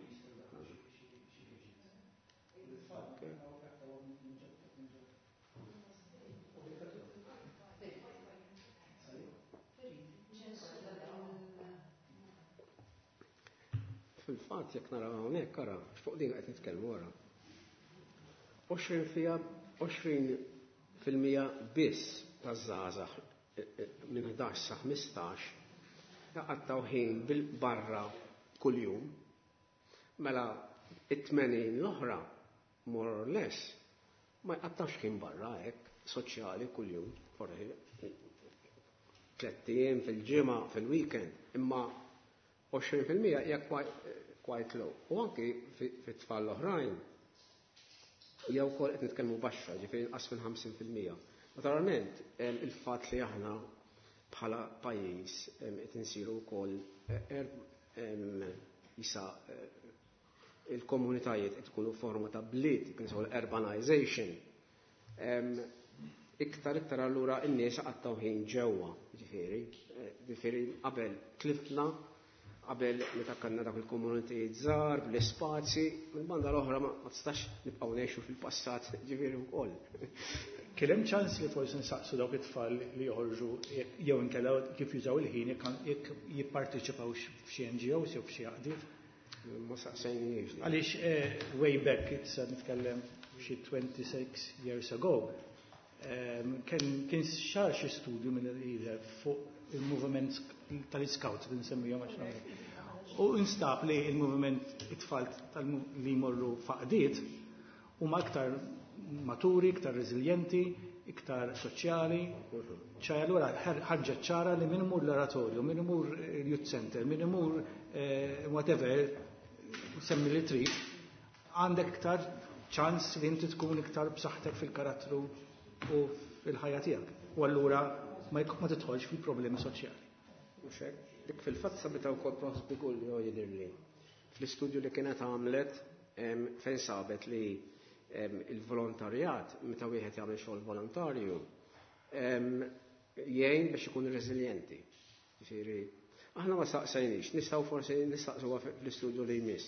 Fil-fatt jekk naraw hawnhekk ara fuq din qed nitkellmu wara. 20% biss taż-żgħażagħ minn 11 sa 15 jaqattaw ħin bil-barra kuljum. Mela it-80 l-oħra more or less ma jqattawx ħin barra hekk soċjali kuljum, forsi 3 ijiem fil-ġimgħa fil-weekend, imma 20% hija quite low. U anki fit-tfal l-oħrajn jew ukoll qed nitkellmu baxxa, ġifieri inqas minn 50%. Naturalment, il-fatt li aħna bħala pajjiż qed insiru wkoll isa il-komunitajiet qed ikunu forma ta' bliet, kien ismu urbanization. Iktar iktar allura n-nies qattaw ħin ġewwa, ġifieri qabel tlifna, qabel meta kellna dak il-komunitajiet żgħar, bl-ispazji, mill-banda l-oħra ma tistax nibqgħu ngħixu fil-passat, ġifieri wkoll. Kien hemm ċans li forsi nsaqsu dawk it-tfal li joħorġu jew inkella kif jużaw il-ħin jekk jipparteċipaw f'xi NGOs jew f'xi għaqdiet? Ma saqsejniex. Għaliex way back, issa nitkellem xi 26 years ago, kien xar xi studju minn fuq il-movement tal-scouts li nsemmihom għax nagħmel. U instab li il-movement it-tfal li jmorru faqdiet huma aktar maturi, iktar reżiljenti, iktar soċjali. ċaj allura ħarġet ċara li min imur l-oratorju, min imur il-youth center, min imur whatever, semmi li trid, għandek iktar ċans li inti tkun iktar b'saħħtek fil-karattru u fil-ħajja tiegħek. U allura ma tidħolx fil-problemi soċjali. Mhux hekk. Dik fil-fatt sabita wkoll Prof Bigulli jidhirli. Fl-istudju li kienet għamlet fejn sabet li il-volontarjat, meta wieħed jagħmel xogħol volontarju, jgħin biex ikun reżiljenti. Ġifieri, Aħna ma saqsajniex, nistgħu forsi nistaqsuha fl-istudju li jmiss.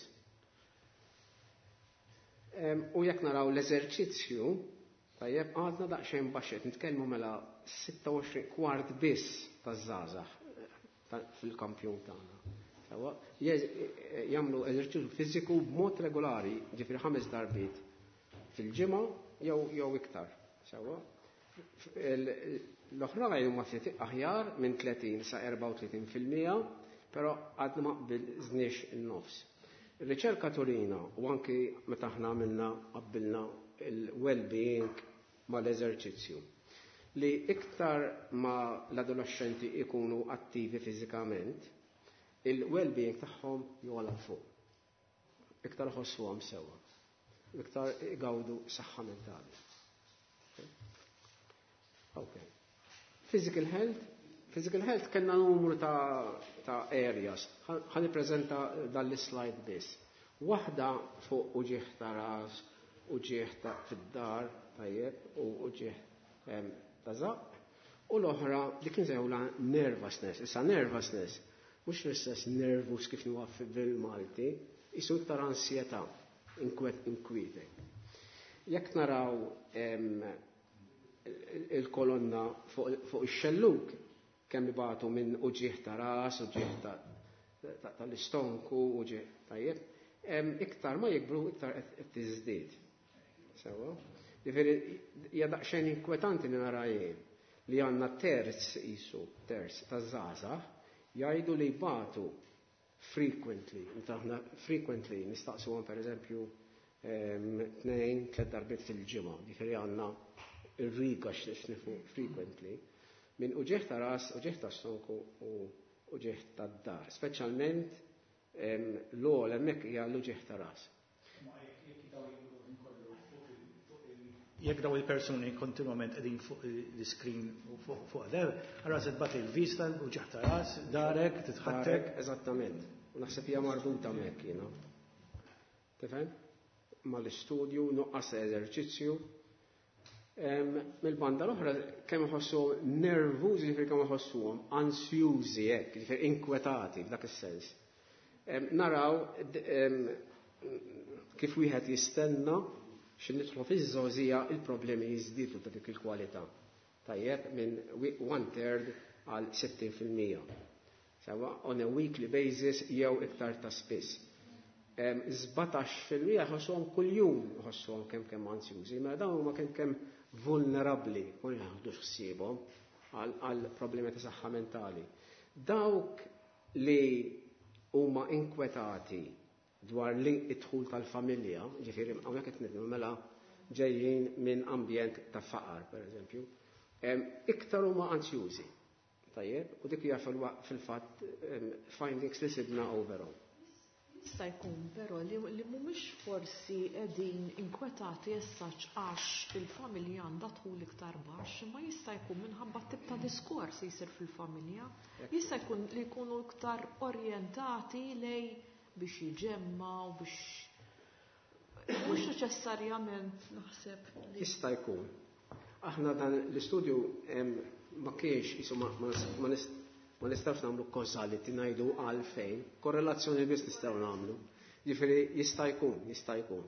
U jekk naraw l-eżerċizzju, tajjeb għadna daqsxejn baxxet, nitkellmu mela 26 kwart biss taż-żgħażagħ fil-kampjun tagħna. Sewwa, jagħmlu eżerċizzju fiżiku b'mod regolari, ġifieri 5 darbiet fil-ġimgħa jew iktar. Sewwa. L-oħrajn huma ftit aħjar minn 30 sa 34%, però għadna ma qbilżniex in-nofs. Ir-riċerka turina u anki meta aħna għamilna qabbilna il-well-being mal-eżerċizzju li iktar ma l-adolescenti ikunu attivi fiżikament, il-well-being tagħhom jogħla fuq. Iktar ħossuhom sewwa. Iktar igawdu saħħa mentali. Okay. Physical health. Physical health kellna numru ta' areas. Ħa nippreżenta dan l-slide biss. Waħda fuq uġigħ ta' ras, uġigħ ta' fid-dar, tajjeb, u uġigħ ta' żaqq. U l-oħra li kien sejħula nervousness. Issa nervousness, mhux l-istess nervous kif huwa bil-Malti, isu iktar ansjetà, inkwitek. Jekk naraw il-kolonna fuq ix-xellug kemm ibatu minn uġigħ ta' ras, uġigħ tal-istonku, uġigħ tajjeb, iktar ma jikbru iktar qed tiżdied. Sewwa? Ġifieri hija daqsxejn inkwetanti li nara jien li għandna terz isu, terz taż-żgħażagħ jgħidu li jbatu frequently, meta aħna frequently nistaqsuhom pereżempju 2-3 darbiet fil-ġimgħa, ġifieri għandna ir-riga x'nifu frequently, minn uġigħ ta' ras, uġigħ ta' stonku u uġigħ ta' dar, speċjalment l-ogħla hemmhekk hija l-uġigħ ta' ras. Jekk daw il-persuni kontinwament qegħdin fuq l-screen u fuq der, allura se tbati l-vista, uġigħ ta' ras, darek, titħattek. Eżattament. U naħseb hija marbuta hemmhekk jiena. Tifhem? Mal-istudju, nuqqas eżerċizzju. Mill-banda l-oħra kemm iħossuhom nervużi, ġifieri kemm iħossuhom ansjużi hekk, ġifieri inkwetati f'dak is-sens. Naraw kif wieħed jistenna xi nidħlu fiż-żgħożija il-problemi jiżdiedu ta' dik il-kwalità. Tajjeb minn 1/3 għal 60%. Sewa on a weekly basis jew iktar ta' spiss. 17% ħossuhom kuljum ħossuhom kemm kemm ansjużi, mela dawn huma kemm kemm vulnerabbli, u jaħdux ħsiebhom għal problemi ta' saħħa mentali. Dawk li huma inkwetati dwar li id-dħul tal-familja, ġifieri hawnhekk qed nidnu mela ġejjin minn ambjent ta' faqar, pereżempju, iktar huma ansjużi. Tajjeb, u dik hija fil-fatt findings li sibna overall. Jista' jkun però li mhumiex forsi qegħdin inkwetati essaċ għax il-familja għandha dħul iktar baxx, imma jista' jkun minħabba tip ta' diskors li jsir fil-familja. Jista' jkun li jkunu iktar orjentati lej biex jiġemmaw, biex mhux neċessarjament naħseb. Jista' jkun. Aħna dan l-istudju ma kienx isu ma nistgħux nagħmlu causality ngħidu għalfejn, korrelazzjoni biss nistgħu nagħmlu. Ġifieri jista' jkun, jista' jkun.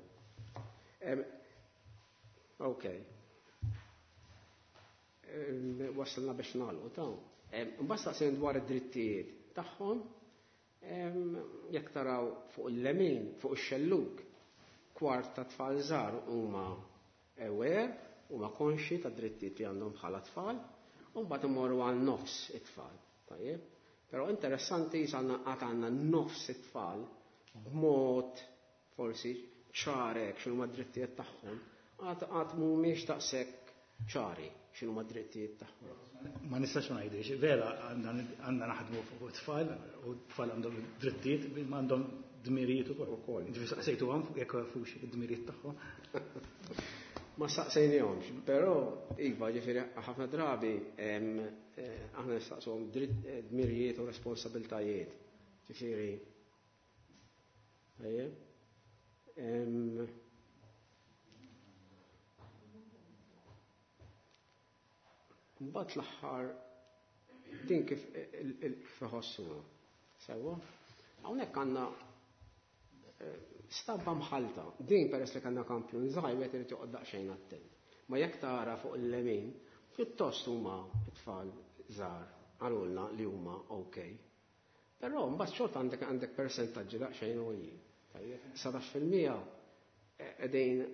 Ok. Wasalna biex nagħlqu ta'. Mbagħad staqsejn dwar id-drittijiet tagħhom, jekk taraw fuq il-lemin, fuq ix-xellug, kwart ta' tfal żgħar huma aware, huma konxi ta' drittijiet li għandhom bħala tfal, u mbagħad imorru għal nofs it-tfal. Tajjeb? Però interessanti jisanna għad għandna nofs it-tfal b'mod forsi ċarek x'inhuma d-drittijiet tagħhom, għad mhumiex daqshekk ċari x'inhuma d-drittijiet tagħhom. Ma nistax ma ngħidix, vera għandna naħdmu fuq it-tfal u t-tfal għandhom drittijiet, ma għandhom dmirijiet ukoll. Ukoll. Ġifieri saqsejtuhom fuq jekk jafux id-dmirijiet tagħhom. Ma saqsejnihomx, però iva, ġifieri ħafna drabi aħna nistaqsuhom dmirijiet u responsabiltajiet. Ġifieri. Ejja. Mbagħad l-aħħar din kif iħossuha. Sewwa? Hawnhekk għandna stampa mħalta. Din peress li kellna kampjun żgħir wieħed irid joqgħod daqsxejn attent. Ma jekk tara fuq il-lemin, pjuttost huma t-tfal żgħar qalulna li huma ok. Però mbagħad xorta għandek persentaġġi daqsxejn għoljin. Tajjeb, 19% qegħdin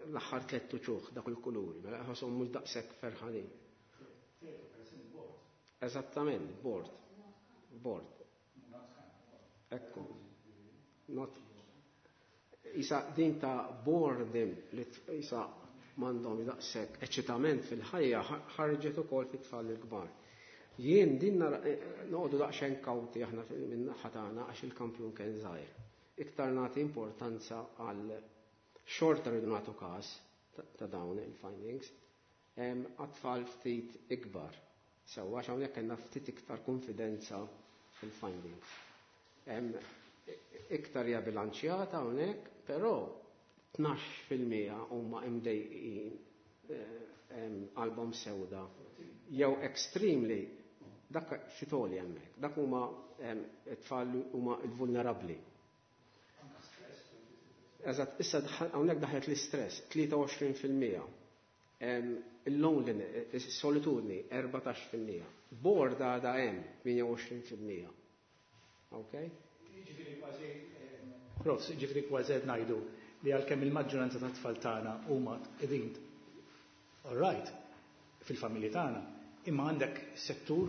l-aħħar tlett uċuħ dak il-kuluri, mela ħosshom mhux daqshekk ferħanin. Eżattament, bored. Bored. Ekku. Not. Isa din ta' boredom li isa m'għandhom daqshekk eċitament fil-ħajja ħarġet ukoll fit-tfal il-kbar. Jien din noqogħdu daqsxejn kawti aħna minn naħa tagħna għax il-kampjun kien żgħir. Iktar nagħti importanza għal xorta rridu nagħtu każ ta' dawn il-findings għat-tfal ftit ikbar. Sewwa għax hawnhekk kellna ftit iktar konfidenza fil-findings. Iktar hija bilanċjata hawnhekk, però 12% huma imdejqin, qalbhom sewda jew extremely, dak fitoli hemmhekk, dak huma t-tfal huma l-vulnerabbli. Eżatt, issa hawnhekk daħlet l-istress, 23%. Il-loneliness, is-solitudni, 14%. Bored għadha hemm, 28%. Ok? Ġifieri kważi, Profs, ġifieri kważi qed ngħidu li għalkemm il-maġġoranza ta' tfal tagħna huma qegħdin all right fil-familji tagħna, imma għandek settur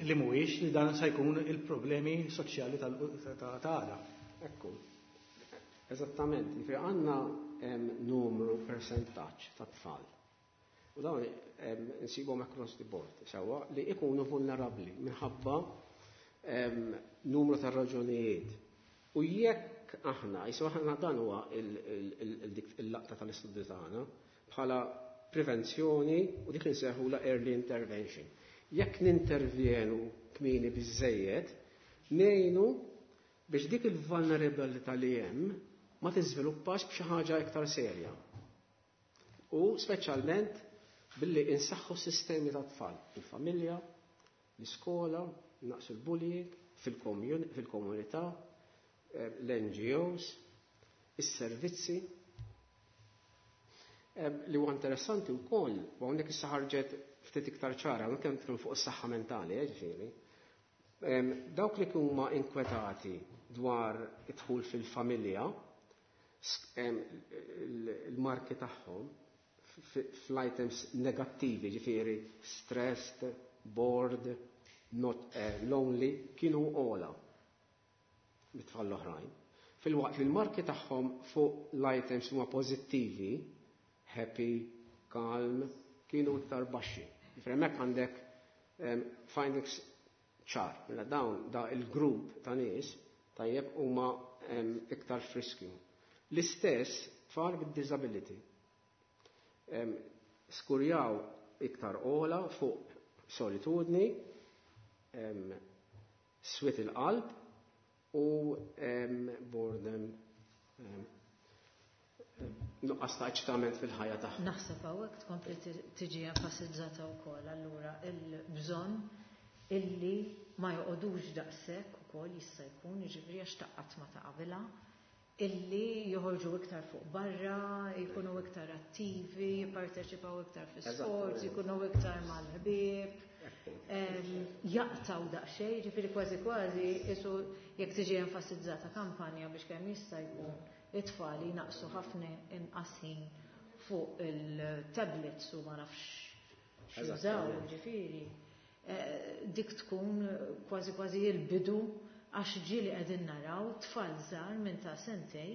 li mhuwiex li dan se jkun il-problemi soċjali ta' għada. Ekku. Eżattament, ġifieri għandna numru persentaġġ ta' tfal. U dawn insibhom across the board, sewwa, li ikunu vulnerabbli minħabba numru ta' raġunijiet. U jekk aħna, jisu aħna dan huwa il-laqta tal-istudju tagħna bħala prevenzjoni u dik li nsejħu la early intervention. Jekk nintervjenu kmieni biżejjed, ngħinu biex dik il-vulnerabilità li hemm ma tiżviluppax b'xi ħaġa iktar serja. U speċjalment billi insaħħu sistemi ta' tfal, il-familja, l-iskola, naqsu l-bullying, fil-komunità, l-NGOs, is-servizzi. Li huwa interessanti wkoll, u hawnhekk issa ħarġet ftit iktar ċara, hawnhekk kemm nitkellmu fuq is-saħħa mentali, ġifieri. Dawk li huma inkwetati dwar id-dħul fil-familja, il-marki tagħhom fl-items negattivi, ġifieri stressed, bored, not lonely, kienu ogħla mit-tfal l-oħrajn. Filwaqt li l-marki tagħhom fuq l-items huma pożittivi, happy, calm, kienu iktar baxxi. Ġifieri hemmhekk għandek findings ċar. Mela dawn da il-grupp ta' nies tajjeb huma iktar f'riskju. L-istess tfal bid-disability. Skurjaw iktar ogħla fuq solitudni, swied il-qalb u boredom, nuqqas ta' eċitament fil-ħajja tagħhom. Naħseb hawnhekk tkompli tiġi enfasizzata wkoll allura il-bżonn illi ma joqogħdux daqshekk ukoll jista' jkun, jiġifieri għax taqqat ma ta' qabilha, illi joħorġu iktar fuq barra, jkunu iktar attivi, jipparteċipaw iktar fi sports, jkunu iktar mal-ħbieb, jaqtaw daqsxejn, ġifieri kważi kważi isu jekk tiġi enfasizzata kampanja biex kemm jista' jkun it-tfal jinaqsu ħafna inqas ħin fuq il-tablets u ma nafx x'jużaw, ġifieri. Dik tkun kważi kważi il-bidu, għax ġieli qegħdin naraw tfal żgħar minn ta' sentej,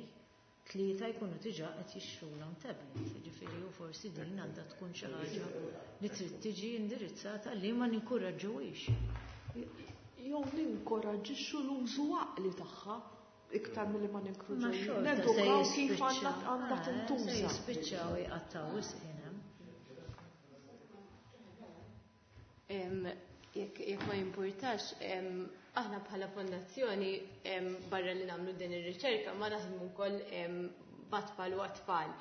3 jkunu diġà qed jixtrulhom tablet. Ġifieri u forsi din għandha tkun xi ħaġa li trid tiġi indirizzata li ma ninkoraġġuhiex. Jew ninkoraġġixxu l-użu għaqli tagħha iktar milli ma Ma ninkoraġġu. xorta se Nedukaw kif jispiċċa. għandha tintuża. Se jispiċċaw jqattaw wisq ħin hemm. Jekk ma jimpurtax, aħna bħala fondazzjoni, barra li nagħmlu din ir-riċerka, ma naħdmu wkoll bat-tfal u għat-tfal.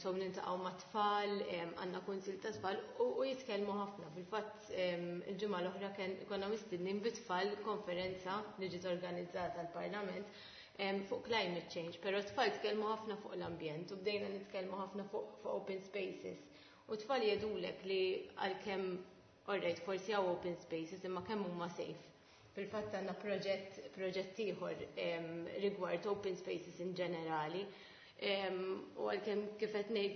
So niltaqgħu mat-tfal, għandna kunsil ta' tfal u jitkellmu ħafna. Fil-fatt il-ġimgħa l-oħra konna mistednin bit-tfal konferenza li ġiet organizzata l-Parlament fuq climate change, però tfal tkellmu ħafna fuq l-ambjent u bdejna nitkellmu ħafna fuq open spaces. U tfal jgħidulek li għalkemm, alright, forsi hawn open spaces imma kemm huma safe. Fil-fatt għandna proġett ieħor rigward open spaces in ġenerali. U għalkemm kif qed ngħid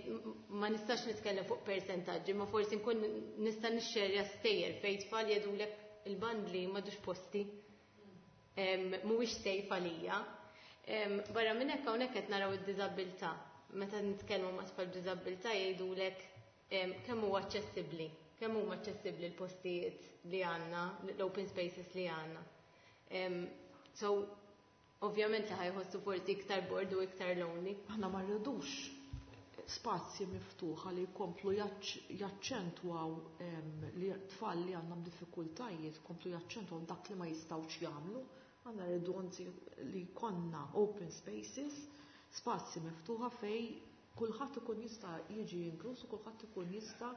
ma nistax nitkellem fuq percentaġġi, ma forsi nkun nista' nixxerja stejjer fejn tfal jgħidulek il-bandli m'għadux posti. Mhuwiex safe għalija. Barra minn hekk hawnhekk qed naraw id-diżabilità. Meta nitkellmu ma' tfal b'diżabilità jgħidulek kemm huwa aċċessibbli, kemm huma aċċessibbli l-postijiet li għandna, l-open spaces li għandna. So, ovvjament li ħa jħossu forsi iktar bored u iktar lonely. Aħna ma rridux spazji miftuħa li jkomplu jaċċentwaw li tfal li għandhom diffikultajiet, jkomplu jaċċentwaw dak li ma jistgħux jagħmlu. Aħna rridu anzi li jkollna open spaces, spazji miftuħa fej kulħadd ikun jista' jiġi inkluż u kulħadd ikun jista'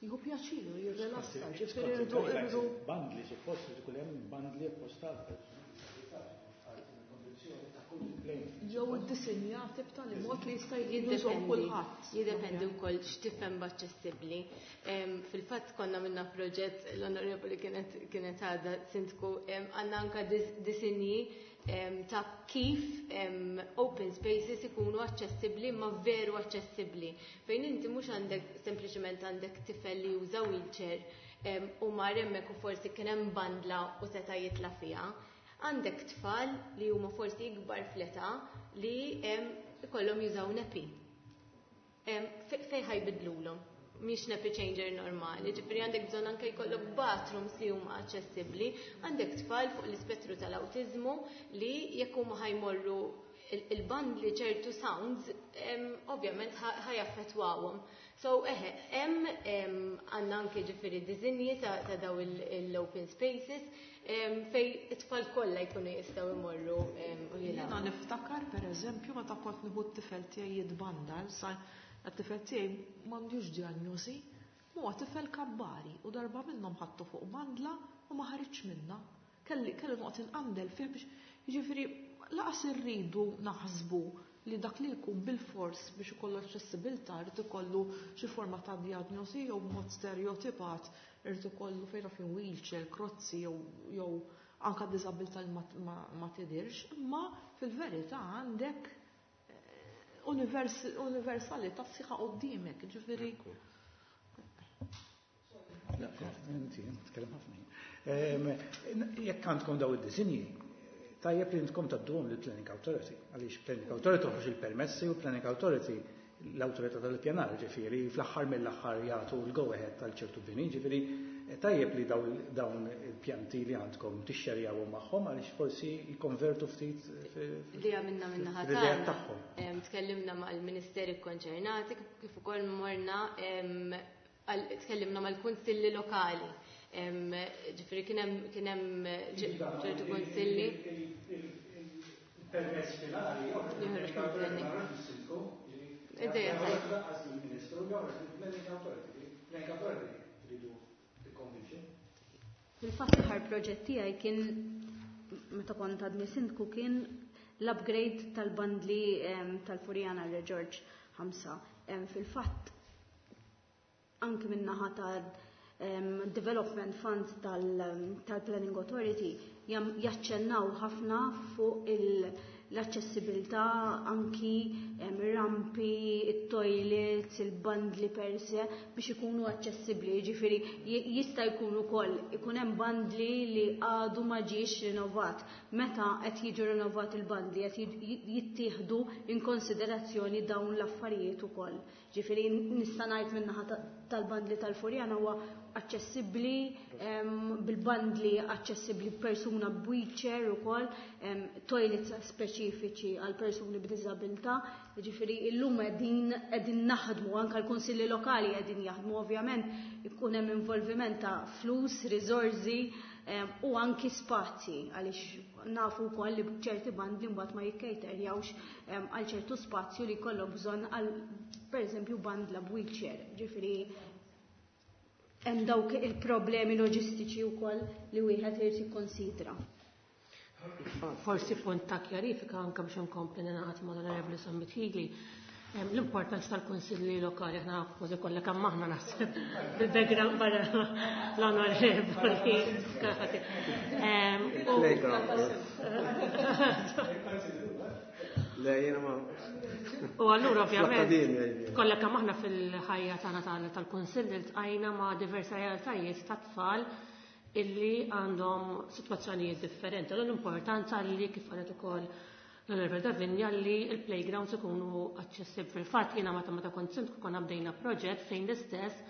jieħu pjaċir u jirrelassa. Ġifieri rridu Bandli, suppost li tkun hemm bandli apposta jew iddisinjati b'tali mod li jista' jużhom kulħadd. Jiddependi wkoll x'tifhem b'aċċessibbli. Fil-fatt konna minna proġett l-onorevoli kienet għadha sindku, għandna anka disinji ta' kif open spaces ikunu aċċessibbli ma veru aċċessibbli. Fejn inti mhux għandek sempliċement għandek tifel li juża wheelchair u mar hemmhekk u forsi kien hemm bandla u seta' jitla' fiha. Għandek tfal li huma forsi ikbar fl-età li ikollhom jużaw nappy. Fej ħa jbiddlulhom? Mhix nappy changer normali, ġifieri għandek bżonn anke jkollok bathrooms li huma aċċessibbli, għandek tfal fuq l-ispettru tal-awtiżmu li jekk huma ħa jmorru il-bandli ċertu sounds, ovvjament ħa jaffettwawhom. So, eħe, hemm għandna anke ġifieri disinji ta' daw l-open spaces fej it-tfal kollha jkunu jistgħu imorru u jilagħbu. Jiena niftakar pereżempju meta kont nieħu t-tifel tiegħi jitbandal, sa t-tifel tiegħi m'għandux diagnosi, huwa tifel kabbari u darba minnhom ħadtu fuq bandla u ma ħariġx minnha. Kelli noqgħod inqandel fih biex jiġifieri laqas irridu naħsbu li dak li jkun bil-fors biex ikollu aċċessibilità jrid ikollu xi forma ta' diagnosi jew b'mod stereotipat irid ikollu fejn naf wheelchair, krozzi jew anka diżabilità li ma tidirx, imma fil-verità għandek universalità sħiħa quddiemek, ġifieri. Inti, tkellem ħafna. Jekk għandkom daw id-disinji, tajjeb li intkom tgħadduhom lill Planning Authority, għaliex Planning Authority toħroġ il-permessi u Planning Authority l-autorità tal-pjanar, ġifieri fl-aħħar mill-aħħar jagħtu l-go ahead tal-ċertu bini, ġifieri tajjeb li dawn il-pjanti li għandkom tixxerjawhom magħhom għaliex forsi jikkonvertu ftit Li għamilna minna fl-idea tagħhom. Tkellimna mal-ministeri konċernati kif ukoll morna tkellimna mal-kunsilli lokali. Ġifieri kien hemm ċertu kunsilli. Il-permess finali joħroġ mill-planning. Ideja tajba. Il-Ministru joħroġ mill-Planning Authority. Planning Authority tridu tikkonvinċi. Fil-fatt l-aħħar proġett tiegħi kien meta kont għadni sindku kien l-upgrade tal-bandli tal-Furjana Re George 5. Fil-fatt anki min-naħa tal-Development Fund tal-Planning Authority jaċċennaw ħafna fuq l-aċċessibilità anki rampi, it-toilets, il-bandli per se biex ikunu aċċessibbli. Ġifieri jista' jkun ukoll ikun hemm bandli li għadu ma ġiex rinnovat. Meta qed jiġu rinnovat il-bandli qed jittieħdu in konsiderazzjoni dawn l-affarijiet ukoll. Ġifieri nista' ngħid min-naħa tal-bandli tal-Furjana huwa aċċessibbli bil-bandli aċċessibbli persuna b'wheelchair ukoll, toilets speċifiċi għal persuni b'diżabilità. Jiġifieri illum qegħdin qegħdin naħdmu anke l-kunsilli lokali qegħdin jaħdmu ovvjament ikun hemm involviment ta' flus, riżorsi u anki spazji għaliex nafu wkoll li ċerti bandli mbagħad ma jikkejterjawx għal ċertu spazju li jkollok bżonn għal pereżempju bandla b'wheelchair. Ġifieri hemm dawk il-problemi loġistiċi wkoll li wieħed irid jikkonsidra. Forsi punt ta' kjarifika anke biex inkompli ningħaqad mal-Onorevoli Sammit Hili. L-importanza tal-kunsilli lokali aħna kważi kollha kemm aħna naħseb bil-background barra l-onorevoli. Le, jiena ma. U allura ovvjament kollha kemm aħna fil-ħajja tagħna tal-kunsill iltqajna ma' diversi realtajiet ta' tfal illi għandhom sitwazzjonijiet differenti. Allura l-importanza li kif qalet ukoll l-Onorevole Davinja li l-playgrounds ikunu aċċessibbli. Fil-fatt jiena meta meta kont sindku konna bdejna proġett fejn l-istess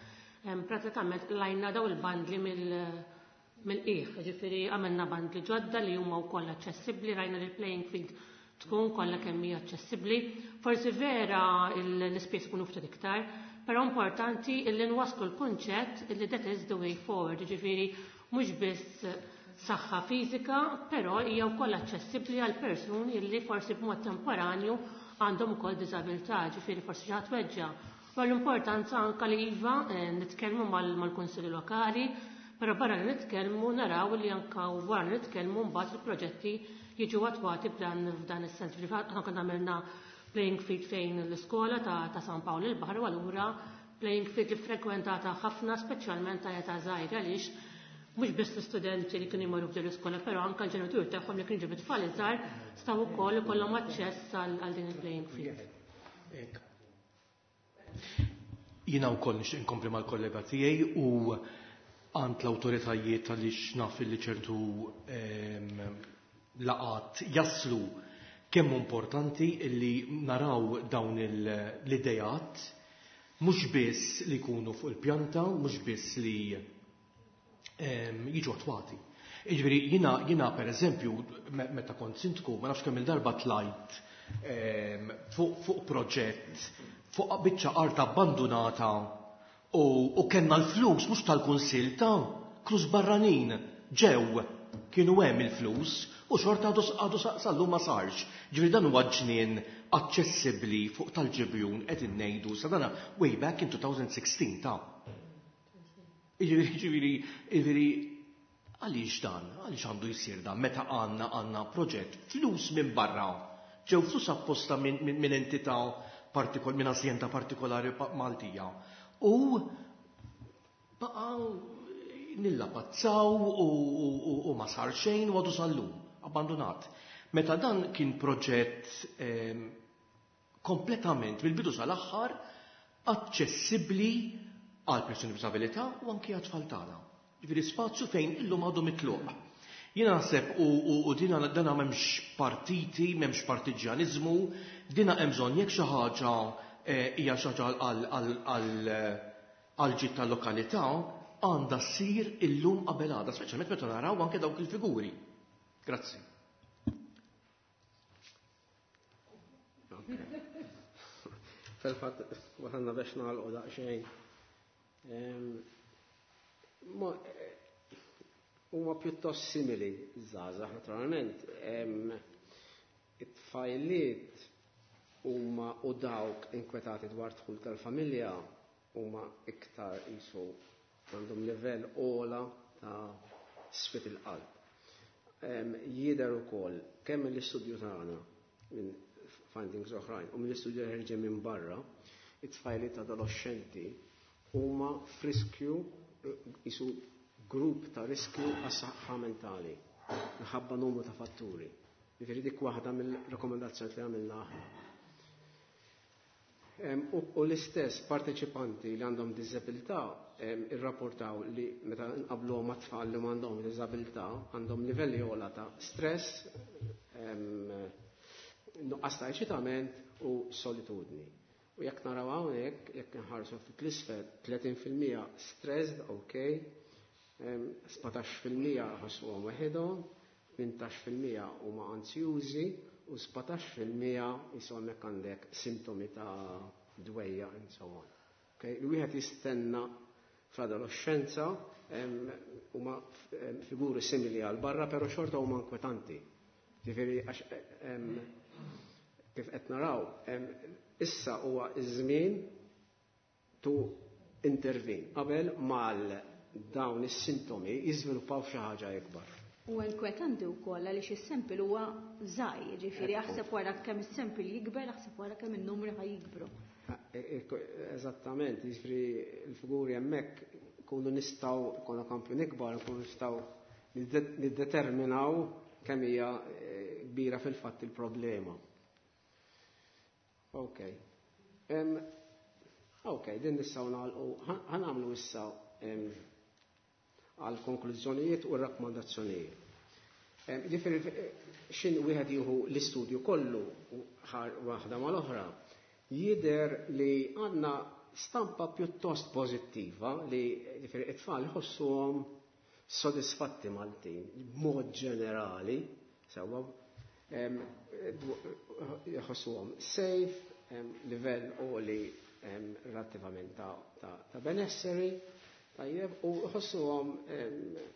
pratikament lajna daw il-bandli mill-qiegħ. Ġifieri għamilna bandli ġodda li huma wkoll aċċessibbli, rajna li l-playing field tkun kollha kemm hija aċċessibbli. Forsi vera l-ispejjeż ikunu ftit iktar, però importanti illi nwasslu l-kunċett illi that is the way forward, ġifieri mhux biss saħħa fiżika, però hija wkoll aċċessibbli għal persuni illi forsi b'mod temporanju għandhom ukoll diżabilità, ġifieri forsi xi ħadd weġġa'. U l-importanza anke li iva nitkellmu mal-kunsilli lokali, però barra li nitkellmu naraw li anke wara li nitkellmu mbagħad il-proġetti jiġu attwati f'dan is-sens. Ġifieri aħna konna għamilna playing field fejn l-iskola ta' San Pawl il-Baħar u allura playing field li frekwentata ħafna speċjalment ta' età żgħira għaliex mhux biss l-istudenti li kienu jmorru f'din l-iskola, però anke l-ġenituri tagħhom li kienu ġibu tfal iżgħar staw ukoll ikollhom aċċess għal din il-playing field. Jiena wkoll nixtieq inkompli mal-kollega tiegħi u għand l-awtoritajiet għaliex naf li ċertu laqat jaslu kemm importanti illi naraw dawn l-idejat mhux biss li jkunu fuq il-pjanta, mhux biss li jiġu attwati. Jiġifieri jiena pereżempju meta kont sindku ma nafx kemm il-darba tlajt fuq proġett fuq biċċa art abbandunata u kellna l-flus mhux tal-kunsill ta' flus barranin ġew kienu hemm il-flus u xorta għadu sal-lum ma sarx. Ġifieri dan huwa ġnien aċċessibbli fuq tal-Ġibjun qed innejdu sa dana way back in 2016 ta'. Ġifieri għaliex dan? Għaliex għandu jsir dan meta għandna proġett flus minn barra ġew flus apposta minn entità minn azjenda partikolari Maltija. U baqgħu nillapazzaw u ma sar xejn u għadu sal-lum, abbandonat. Meta dan kien proġett kompletament mill-bidu sal-aħħar aċċessibbli għal persuni b'diżabilità u anki għat-tfal tagħna. Ġifieri spazju fejn illum għadu mitluq. Jiena naħseb u dina dana m'hemmx partiti, m'hemmx partiġjaniżmu, dina hemm bżonn jekk xi ħaġa hija xi ħaġa għal ġid tal-lokalità għandha ssir illum qabel għada, speċjalment meta naraw anke dawk il-figuri. Grazzi. Fil-fatt, waħanna biex nagħlqu daqsxejn. Huma pjuttost simili żgħażagħ naturalment. It-tfajliet huma u dawk inkwetati dwar dħul tal-familja huma iktar qisu għandhom livell ogħla ta' sfit il-qalb. Jidher ukoll kemm mill-istudju tagħna minn findings oħrajn u mill-istudju li ħerġen minn barra, it-tfajliet adolescenti huma f'riskju isu grupp ta' riskju għas-saħħa mentali minħabba numru ta' fatturi. Jiġifieri dik waħda mill-rekomendazzjoni li għamilna aħna. U l-istess parteċipanti li għandhom diżabilità irrapportaw li meta nqablu ma' tfal li m'għandhom diżabilità għandhom livelli ogħla ta' stress, nuqqas ta' eċitament u solitudni. U jekk naraw hawnhekk, jekk nħarsu ftit l-isfel, 30% stressed, ok, 17% ħossuhom waħedhom, 18% huma anzjużi u u 17% jisu hemmhekk għandek sintomi ta' dwejja and so on. Okay? Li wieħed jistenna fl-adolescenza huma figuri simili għal barra, però xorta huma inkwetanti. Ġifieri għax kif qed naraw, issa huwa iż-żmien to intervene qabel mal dawn is-sintomi jiżviluppaw xi ħaġa ikbar. U inkwetanti wkoll għaliex is-sample huwa żgħir, ġifieri aħseb wara kemm is-sample jikber, aħseb wara kemm in-numri ħa jikbru. Eżattament, jiġifieri l-figuri hemmhekk kunu nistgħu konna kampjun ikbar, kunu nistgħu niddeterminaw kemm hija kbira fil-fatt il-problema. Ok. Ok, din nistgħu nagħlqu, ħa nagħmlu issa għal konklużjonijiet u rakkomandazzjonijiet. Ġifieri xin wieħed jieħu l-istudju kollu waħda mal-oħra, jidher li għandna stampa pjuttost pożittiva li ġifieri it-tfal iħossuhom sodisfatti Maltin b'mod ġenerali, sewwa jħossuhom safe, livell għoli relattivament ta' benesseri, tajjeb, u jħossuhom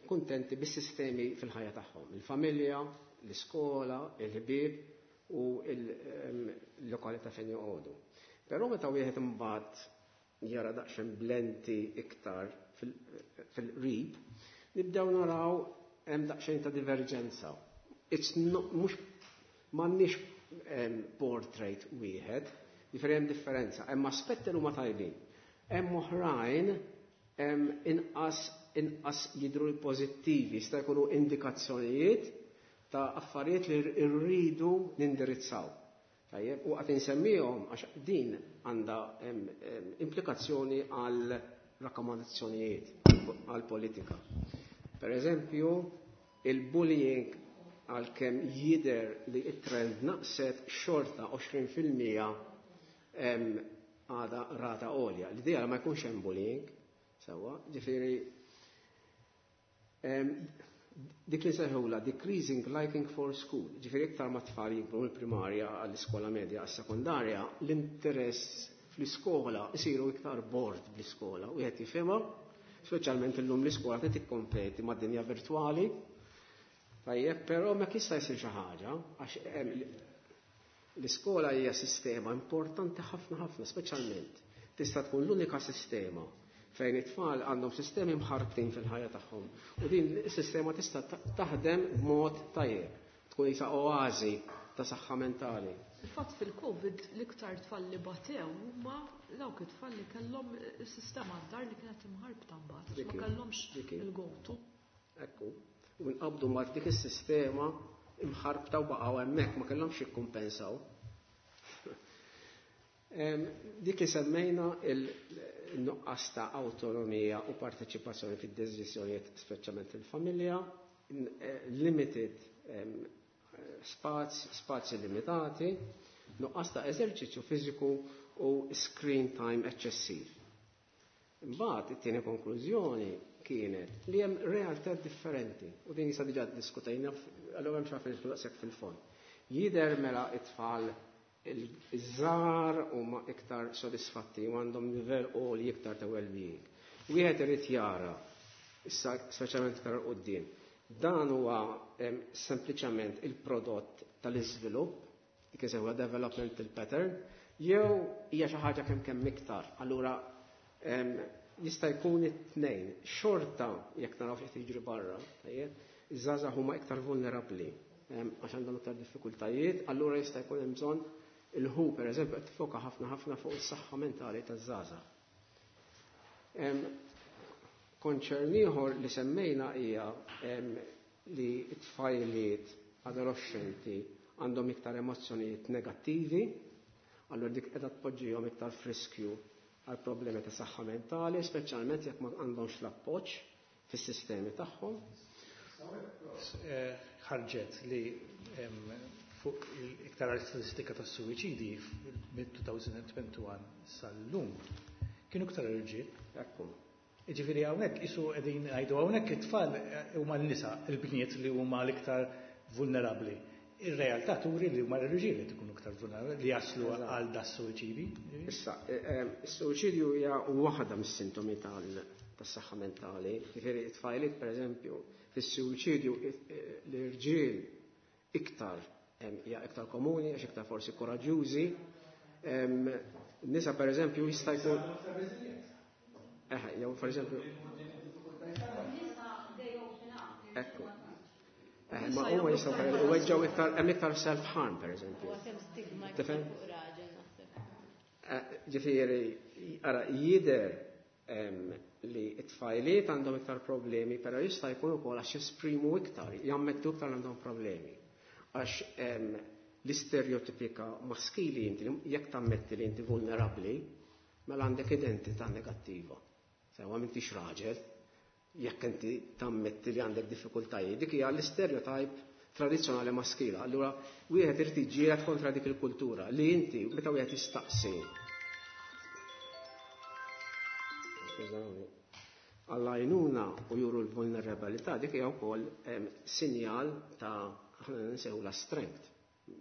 kuntenti bis-sistemi fil-ħajja tagħhom, il-familja, l-iskola, il-ħbieb u il-lokalità fejn joqogħdu. Però meta wieħed imbagħad jara daqsxejn blenti iktar fil-qrib, nibdew naraw hemm daqsxejn ta' diverġenza. It's not, mhux m'għandniex portrait wieħed, jiġifieri hemm differenza, hemm aspetti li huma tajbin. Hemm oħrajn inqas jidhru pożittivi, jista' jkunu indikazzjonijiet ta' affarijiet li rridu nindirizzaw. Tajjeb, u qed insemmihom għax din għandha implikazzjoni għal rakkomandazzjonijiet għal politika. Per eżempju, il-bullying għalkemm jidher li it-trend naqset xorta 20% għada rata għolja. L-idea ma jkunx hemm bullying, sewwa, ġifieri dik li sejħula decreasing liking for school, ġifieri iktar ma tfal jikbru mill-primarja għall-iskola medja għas-sekondarja, l-interess fl-iskola isiru iktar bored bl-iskola u qed jifhimha, speċjalment illum l-iskola qed tikkompeti mad-dinja virtwali. Tajjeb, però ma jista' jsir xi ħaġa għax l-iskola hija sistema importanti ħafna ħafna, speċjalment tista' tkun l-unika sistema fejn it-tfal għandhom sistemi mħarbtin fil-ħajja tagħhom. U din is-sistema tista' taħdem b'mod tajjeb, tkun isa oażi ta' saħħa mentali. Il-fatt fil-Covid l-iktar tfal li batew huma dawk it-tfal li kellhom is-sistema d-dar li kienet imħarbta mbagħad, għax ma kellhomx il-go-to. Ekku, u nqabdu ma' dik is-sistema imħarbta u baqgħu hemmhekk ma kellhomx jikkumpensaw. Dik li semmejna il-nuqqas ta' autonomija u parteċipazzjoni fid-deċiżjonijiet speċjalment fil-familja, limited spazji limitati, nuqqas ta' eżerċizzju fiżiku u screen time eċċessiv. Imbagħad it-tieni konklużjoni kienet li hemm realtà differenti u din jisa diġà diskutejna allura hemm xi daqshekk fil-fond. Jidher mela it-tfal iż-żgħar huma iktar sodisfatti u għandhom livell għoli iktar ta' well-being. Wieħed irid jara, issa speċjalment iktar quddiem, dan huwa sempliċement il-prodott tal-iżvilupp, dik huwa developmental pattern, jew hija xi ħaġa kemm kemm iktar. Allura jista' jkun it-tnejn. Xorta jekk naraw x'qed jiġri barra, tajjeb, iż-żgħażagħ huma iktar vulnerabbli għax għandhom iktar diffikultajiet, allura jista' jkun hemm bżonn il-WHO per eżempju qed tifoka ħafna ħafna fuq is-saħħa mentali taż-żgħażagħ. Concern ieħor li semmejna hija li t-tfajliet adolescenti għandhom iktar emozzjonijiet negattivi, allura dik qiegħda tpoġġihom iktar f'riskju għal problemi ta' saħħa mentali, speċjalment jekk ma għandhomx l-appoġġ fis-sistemi tagħhom. Ħarġet li fuq iktar statistika ta' suwiċidi mid-2021 sal-lum kienu iktar irġiel. Ekku. Ġifieri hawnhekk isu qegħdin ngħidu hawnhekk it-tfal huma n-nisa, il-bniet li huma l-iktar vulnerabbli. Ir-realtà turi li huma l-irġiel li tkunu iktar vulnerabbli li jaslu għal da suwiċidi. Issa, is-suwiċidju hija waħda mis-sintomi tas-saħħa mentali. Jiġifieri t-tfajliet pereżempju, fis-suwiċidju l-irġiel iktar hija iktar komuni għax iktar forsi koraġġjużi. Nisa pereżempju jista' jkun. Eħe, jew pereżempju. Ekku. Ma huma jistgħu weġġgħu iktar hemm iktar self-harm pereżempju. Tifhem? Ġifieri, ara jidher li t-tfajliet għandhom iktar problemi, però jista' jkun ukoll għax jesprimu iktar, jammettu iktar għandhom problemi. Għax l-istereotipika maskili inti jekk tammetti li inti vulnerabbli, mela għandek identità negattiva. Sewa m'intix raġel, jekk inti tammetti li għandek diffikultajiet, dik hija l-istereotype tradizzjonali maskila. Allura wieħed irid jiġġieled kontra dik il-kultura li inti meta wieħed jistaqsi. Skużawni. Għall-għajnuna u juru l-vulnerabilità dik hija wkoll sinjal ta' aħna nsejħu la strength,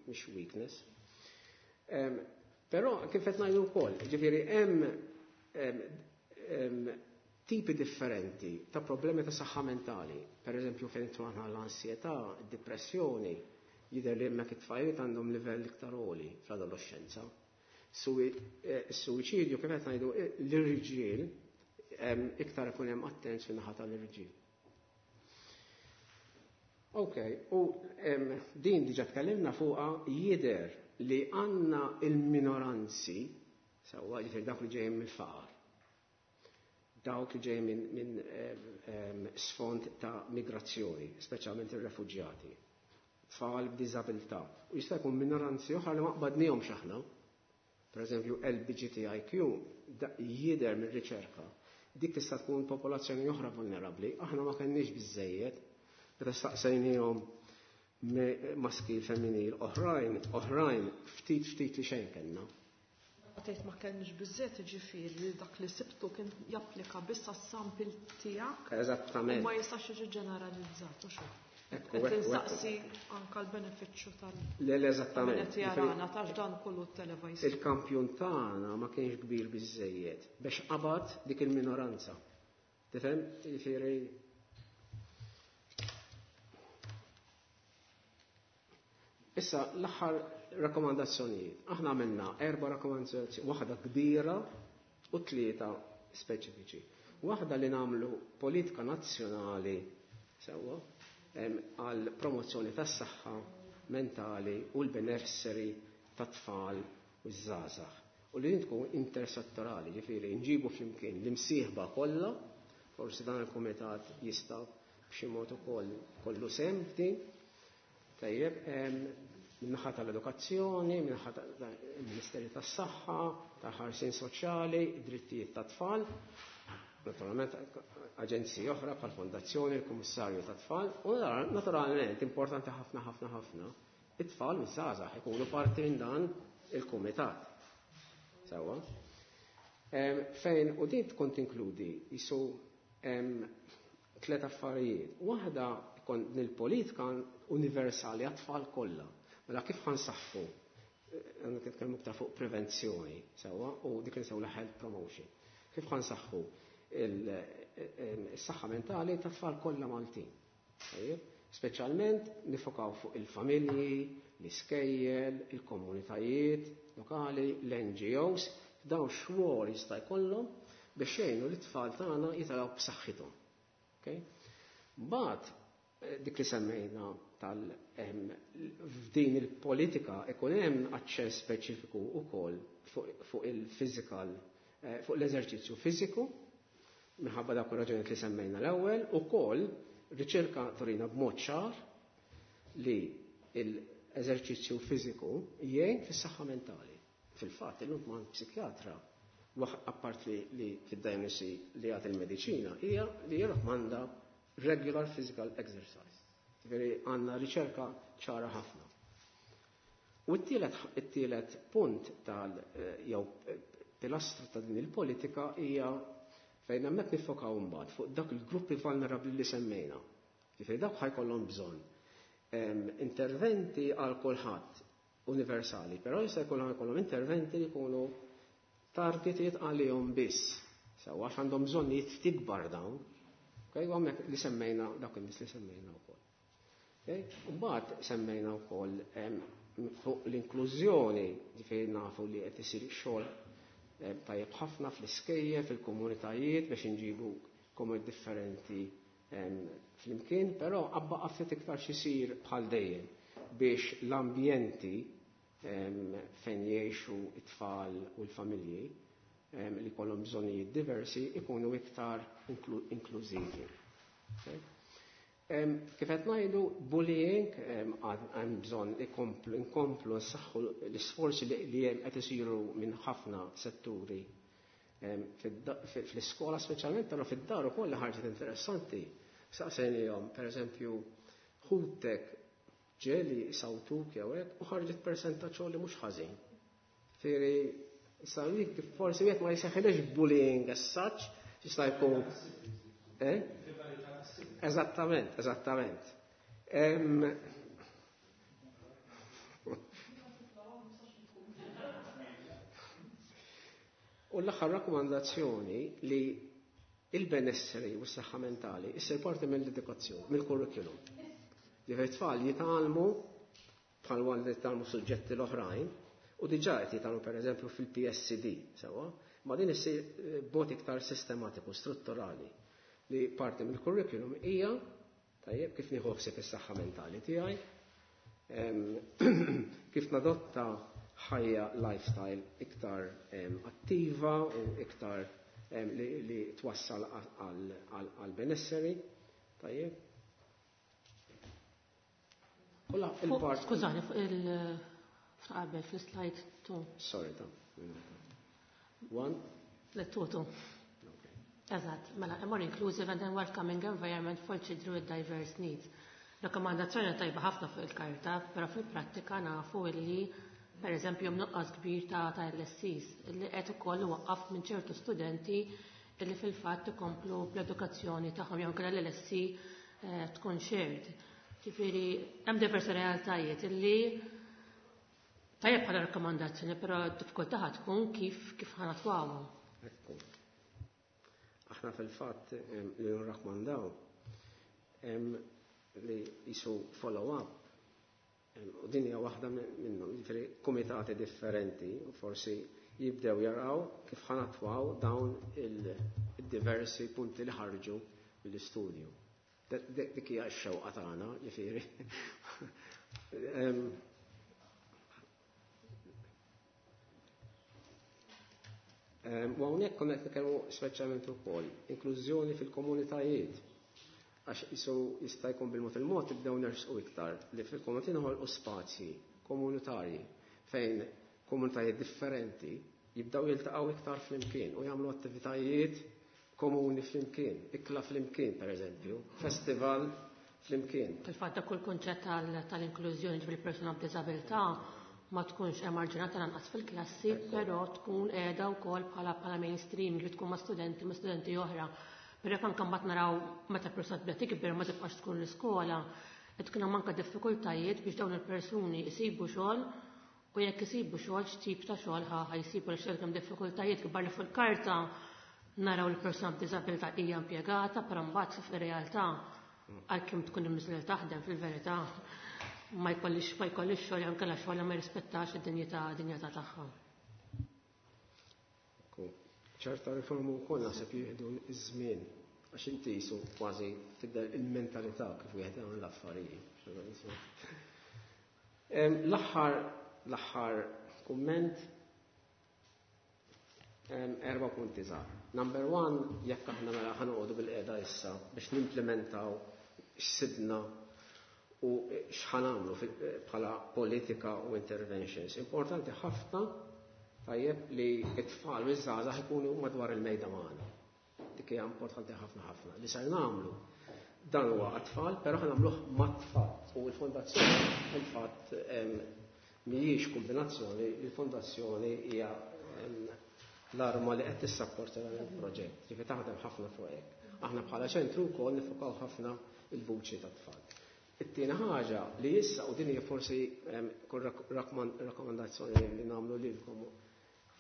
mhix weakness. Però kif qed ngħidu wkoll, ġifieri hemm tipi differenti ta' problemi ta' saħħa mentali. Per eżempju, fejn aħna l-ansjetà, id-depressjoni, jidher li hemmhekk it-tfajliet għandhom livell iktar għoli fl-adolescenza. Is-suwiċidju kif qed ngħidu l-irġiel iktar ikun hemm attenz fin-naħa tal-irġiel. Ok, u din diġà tkellimna fuqha jidher li għandna il-minoranzi, sewwa ġifieri dawk li ġejjin mill-faqar, dawk li ġejjin minn sfond ta' migrazzjoni, speċjalment ir-refuġjati, tfal b'diżabilità. U jista' jkun minoranzi oħra li ma qbadnihomx aħna. Per eżempju, LGBTIQ jidher mir-riċerka. Dik tista' tkun popolazzjoni oħra vulnerabbli. Aħna ma kenniex biżejjed meta staqsejniehom maskil, femminil, oħrajn, oħrajn, ftit ftit li xejn kellna. Tgħid ma kellniex biżżejjed, jiġifieri li dak li sibtu kien japplika biss għas-sample tiegħek. Eżattament. U ma jistax jiġi ġeneralizzat u xejn. Ekku, Qed ekku, insaqsi anke l-benefiċċju tal- Le, le, eżattament. Min qed jarana tax dan kollu televised. Il-kampjun tagħna ma kienx kbir biżejjed biex qabad dik il-minoranza. Tifhem? Jiġifieri Issa, l-aħħar rakkomandazzjonijiet. Aħna għamilna 4 rakkomandazzjonijiet, waħda kbira u 3 speċifiċi. Waħda li nagħmlu politika nazzjonali sewwa għal promozzjoni tas-saħħa mentali u l-benesseri tat-tfal u ż-żgħażagħ. U li tkun intersettorali, ġifieri nġibu flimkien l-imsieħba kollha, forsi dan il-kumitat jista' b'xi mod ukoll kollu sehem f'din. Tajjeb, min-naħa tal-edukazzjoni, min-naħa tal-Ministeri tas-Saħħa, tal-ħarsien soċjali, id-drittijiet tat-tfal, naturalment aġenziji oħra bħal fondazzjoni, il-Kummissarju tat-Tfal, u naturalment importanti ħafna ħafna ħafna, it-tfal u ż-żgħażagħ ikunu parti minn dan il-kumitat. Sewwa. Fejn u din tkun tinkludi jisu 3 affarijiet. Waħda ikun nil-politika universali għat-tfal kollha. Mela kif ħansaħħu? Għandna nitkellmu iktar fuq prevenzjoni, sewwa, u dik li nsewla health promotion. Kif ħansaħħu is-saħħa mentali tat-tfal kollha Maltin? Tajjeb? Speċjalment nifokaw fuq il-familji, l-iskejjel, il-komunitajiet lokali, l-N G Os, dawn xwor jista' jkollhom biex jgħinu lit-tfal tagħna jitalgħu b'saħħithom. Okay? Mbagħad dik li semmejna f'din il-politika ikun hemm aċċess speċifiku wkoll fuq il-physical, fuq l-eżerċizzju fiżiku, minħabba dak ir-raġunijiet li semmejna l-ewwel, ukoll riċerka turina b'mod ċar li l-eżerċizzju fiżiku jgħin fis-saħħa mentali. Fil-fatt, illum ma' psikjatra, apart li fid-diagnosi li jagħti il-mediċina, hija li jirrakmanda regular physical exercise. Ġifieri għandna riċerka ċara ħafna. U t-tielet punt tal jew pilastru ta' din il-politika hija fejn hemmhekk nifokaw mbagħad fuq dak il-gruppi vulnerabbli li semmejna. Ġifieri dawk ħajkollhom bżonn Interventi għal kulħadd universali, però jista' jkun jkollhom interventi li jkunu targeted għalihom biss. Sewa għax għandhom bżonnijiet ftit kbar dawn. Okay, u hemmhekk li semmejna dawk in-nies li semmejna wkoll. Okay? U mbagħad semmejna wkoll fuq l-inklużjoni, ġifieri nafu li qed isir xogħol tajjeb ħafna fl-iskejjel, fil-komunitajiet biex inġibu komunitajiet differenti flimkien, però għad baqa' ftit iktar xisir bħal dejjem biex l-ambjenti fejn jgħixu it-tfal u l-familji li kollhom bżonnijiet diversi ikunu iktar inklużivi. Okay? Kif qed ngħidu bullying hemm bżonn inkomplu nsaħħu l-isforzi li hemm qed isiru minn ħafna setturi fl-iskola speċjalment, però fid-dar ukoll li ħarġet interessanti. Saqsejnihom, pereżempju, ħutek ġieli sawtuk jew hekk u ħarġet persentaġġ li mhux ħażin. Fieri sawik kif forsi wieħed ma jseħħilx bullying as such, jista' jkun. Eh? Eżattament, eżattament. U l-aħħar rakkomandazzjoni li il-benesseri u s-saħħa mentali issir parti mill-edukazzjoni, mill-curriculum. Ġifieri tfal jitgħallmu bħal li jitgħallmu suġġetti l-oħrajn u diġà qed jitgħallmu pereżempju fil-PSCD, sewwa, ma din issir b'mod iktar sistematiku, strutturali li parti mill-curriculum hija tajjeb kif nieħu ħsieb is-saħħa mentali tiegħi, kif nadotta ħajja lifestyle iktar attiva u iktar li twassal għal benesseri. Tajjeb. Il-part. Skużani, fuq il-qabel fil-slide 2. Sorry, ta' One. Le, two, two. Eżatt, mela, a more inclusive and welcoming environment for children with diverse needs. Rakkomandazzjoni tajba ħafna fuq il-karta, però fil-prattika nafu illi per eżempju nuqqas kbir ta' LSCs li qed ukoll waqqaf minn ċertu studenti illi fil-fatt ikomplu bl-edukazzjoni tagħhom jew inkella l-LSC tkun shared. Ġifieri hemm diversi realtajiet illi tajjeb bħala rakkomandazzjoni, però d-diffikultà tkun kif ħa natwawhom. Ekku. Aħna fil-fatt li nrakkomandaw li jisu follow-up u din hija waħda minnhom, jiġifieri kumitati differenti u forsi jibdew jaraw kif ħa natwaw dawn il-diversi punti li ħarġu mill-istudju. Dik hija x-xewqa tagħna, ġifieri. U hawnhekk konna qed nitkellmu speċjalment ukoll inklużjoni fil-komunitajiet. Għax jisu jista' jkun bil-mod il-mod tibdew nersqu iktar li fil-komunità noħolqu spazji komunitarji fejn komunitajiet differenti jibdew jiltaqgħu iktar flimkien u jagħmlu attivitajiet komuni flimkien, ikla flimkien pereżempju, festival flimkien. Fil-fatt dak kull kunċett tal-inklużjoni ġifieri persuna b'diżabilità ma tkunx emarġinata lanqas fil-klassi, però tkun qiegħda wkoll bħala mainstream li tkun ma' studenti oħra. Però jekk anke mbagħad naraw meta persuna tibda tikber ma tibqax tkun l-iskola, qed tkun hemm anke diffikultajiet biex dawn il-persuni jsibu xogħol u jekk isibu xogħol x'tip ta' xogħol ħa jsibu għaliex hemm diffikultajiet kbar li fuq-karta naraw li persuna b'diżabilità hija impjegata, però mbagħad fir-realtà għalkemm tkun imniżla taħdem fil-verità ma jkollix xogħol jew inkella xogħol ma jirrispettax id-dinjità dinjità tagħha. Ċerta riformu wkoll naħseb jieħdu iż-żmien għax inti jisu kważi tibda il-mentalità kif wieħed jagħmel l-affarijiet. L-aħħar kumment erba' punti żgħar. Number one, jekk aħna mela ħa noqogħdu bil-qiegħda issa biex nimplementaw x'sibna u x'ħa nagħmlu bħala politika u interventions. Importanti ħafna tajjeb li t-tfal u ż-żgħażagħ ikunu madwar il-mejda magħna. Dik hija importanti ħafna ħafna. Li ser nagħmlu dan huwa għat-tfal, però ħa nagħmluh mat-tfal. U l-fondazzjoni fil-fatt mhijiex kombinazzjoni, il-fondazzjoni hija l-arma li qed tissapporta dan il-proġett, ġifieri taħdem ħafna fuq hekk. Aħna bħala ċentru wkoll nifukaw ħafna il-vuċi tat-tfal. It-tieni ħaġa li issa u din hija forsi kull rakkomandazzjoni li nagħmlu lilkom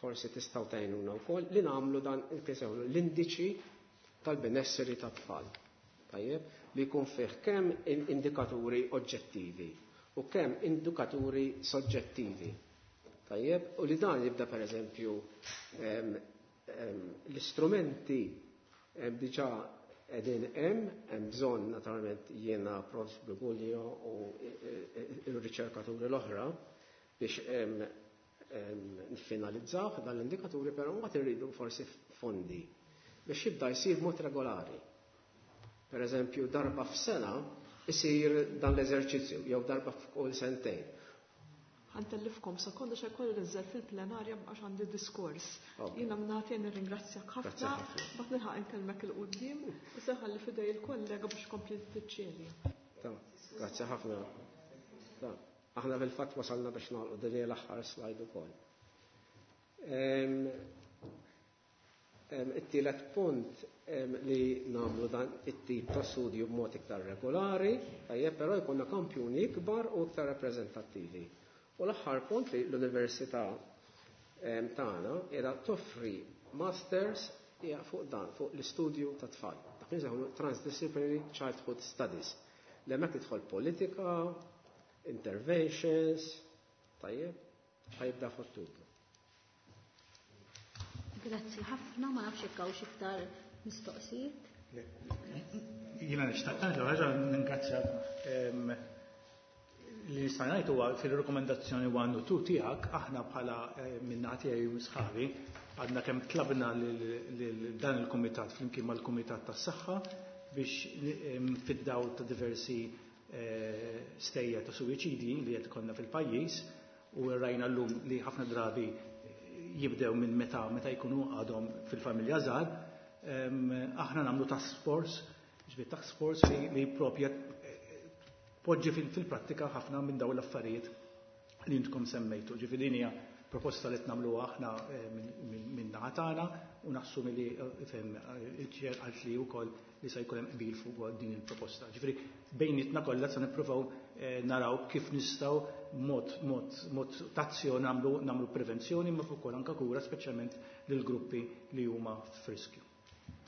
forsi tistgħu tgħinuna wkoll li nagħmlu dan l-indiċi tal-benesseri tat-tfal. Tajjeb, li jkun fih kemm indikaturi oġġettivi u kemm indikaturi soġġettivi. Tajjeb, u li dan jibda pereżempju l-istrumenti diġà qegħdin hemm, hemm bżonn naturalment jiena Prof. Briguglio u r-riċerkaturi l-oħra biex nfinalizzaw dan l-indikaturi, però mbagħad irridu forsi fondi biex jibda jsir mod regolari. Per eżempju, darba f'sena isir dan l-eżerċizzju jew darba f'kull sentejn. Ħa ntellifkom sekonda xa jkolli ninżel fil-plenarja għax għandi diskors. Jiena mnati nirringrazzjak ħafna, bat nilħaq inkellmek il-qudiem u se nħalli f'idej il-kollega biex kompli tiċċeli. Grazzi ħafna. Aħna fil-fatt wasalna biex nagħlqu din l-aħħar slide ukoll. It-tielet punt li nagħmlu dan it-tip ta' studju b'mod iktar regolari, tajjeb però jkollna kampjuni ikbar u iktar rappreżentattivi. U l-aħħar punt li l-Università tagħna qiegħda toffri masters hija fuq dan, fuq l-istudju ta' tfal. Dak li Transdisciplinary Childhood Studies. L-hemmhekk tidħol politika, interventions, tajjeb, ħa jibda f'Ottubru. Grazzi ħafna, ma nafx jekk hawnx iktar mistoqsijiet. Jiena nixtaq ħaġa ningrazzja li nista' ngħid huwa fil-rekomendazzjoni 1 u 2 tiegħek aħna bħala min-naħa tiegħi u sħabi għadna kemm tlabna lil dan il-kumitat flimkien mal-Kumitat tas-Saħħa biex fid-dawl ta' diversi stejjer ta' suwiċidi li qed ikollna fil-pajjiż u rajna llum li ħafna drabi jibdew minn meta meta jkunu għadhom fil-familja żgħar, aħna nagħmlu task force, ġifieri task force li propja poġġi fil-prattika ħafna minn dawn l-affarijiet li intkom semmejtu. Ġifieri din hija proposta li nagħmluha aħna minn naħa tagħna u naħsbu milli il-chair qalt li wkoll li se jkun hemm qbil fuq din il-proposta. Ġifieri bejnietna kollha se nippruvaw naraw kif nistgħu mod mod mod tazzjoni nagħmlu nagħmlu prevenzjoni ma fuq ukoll anke kura speċjalment lil gruppi li huma f'riskju.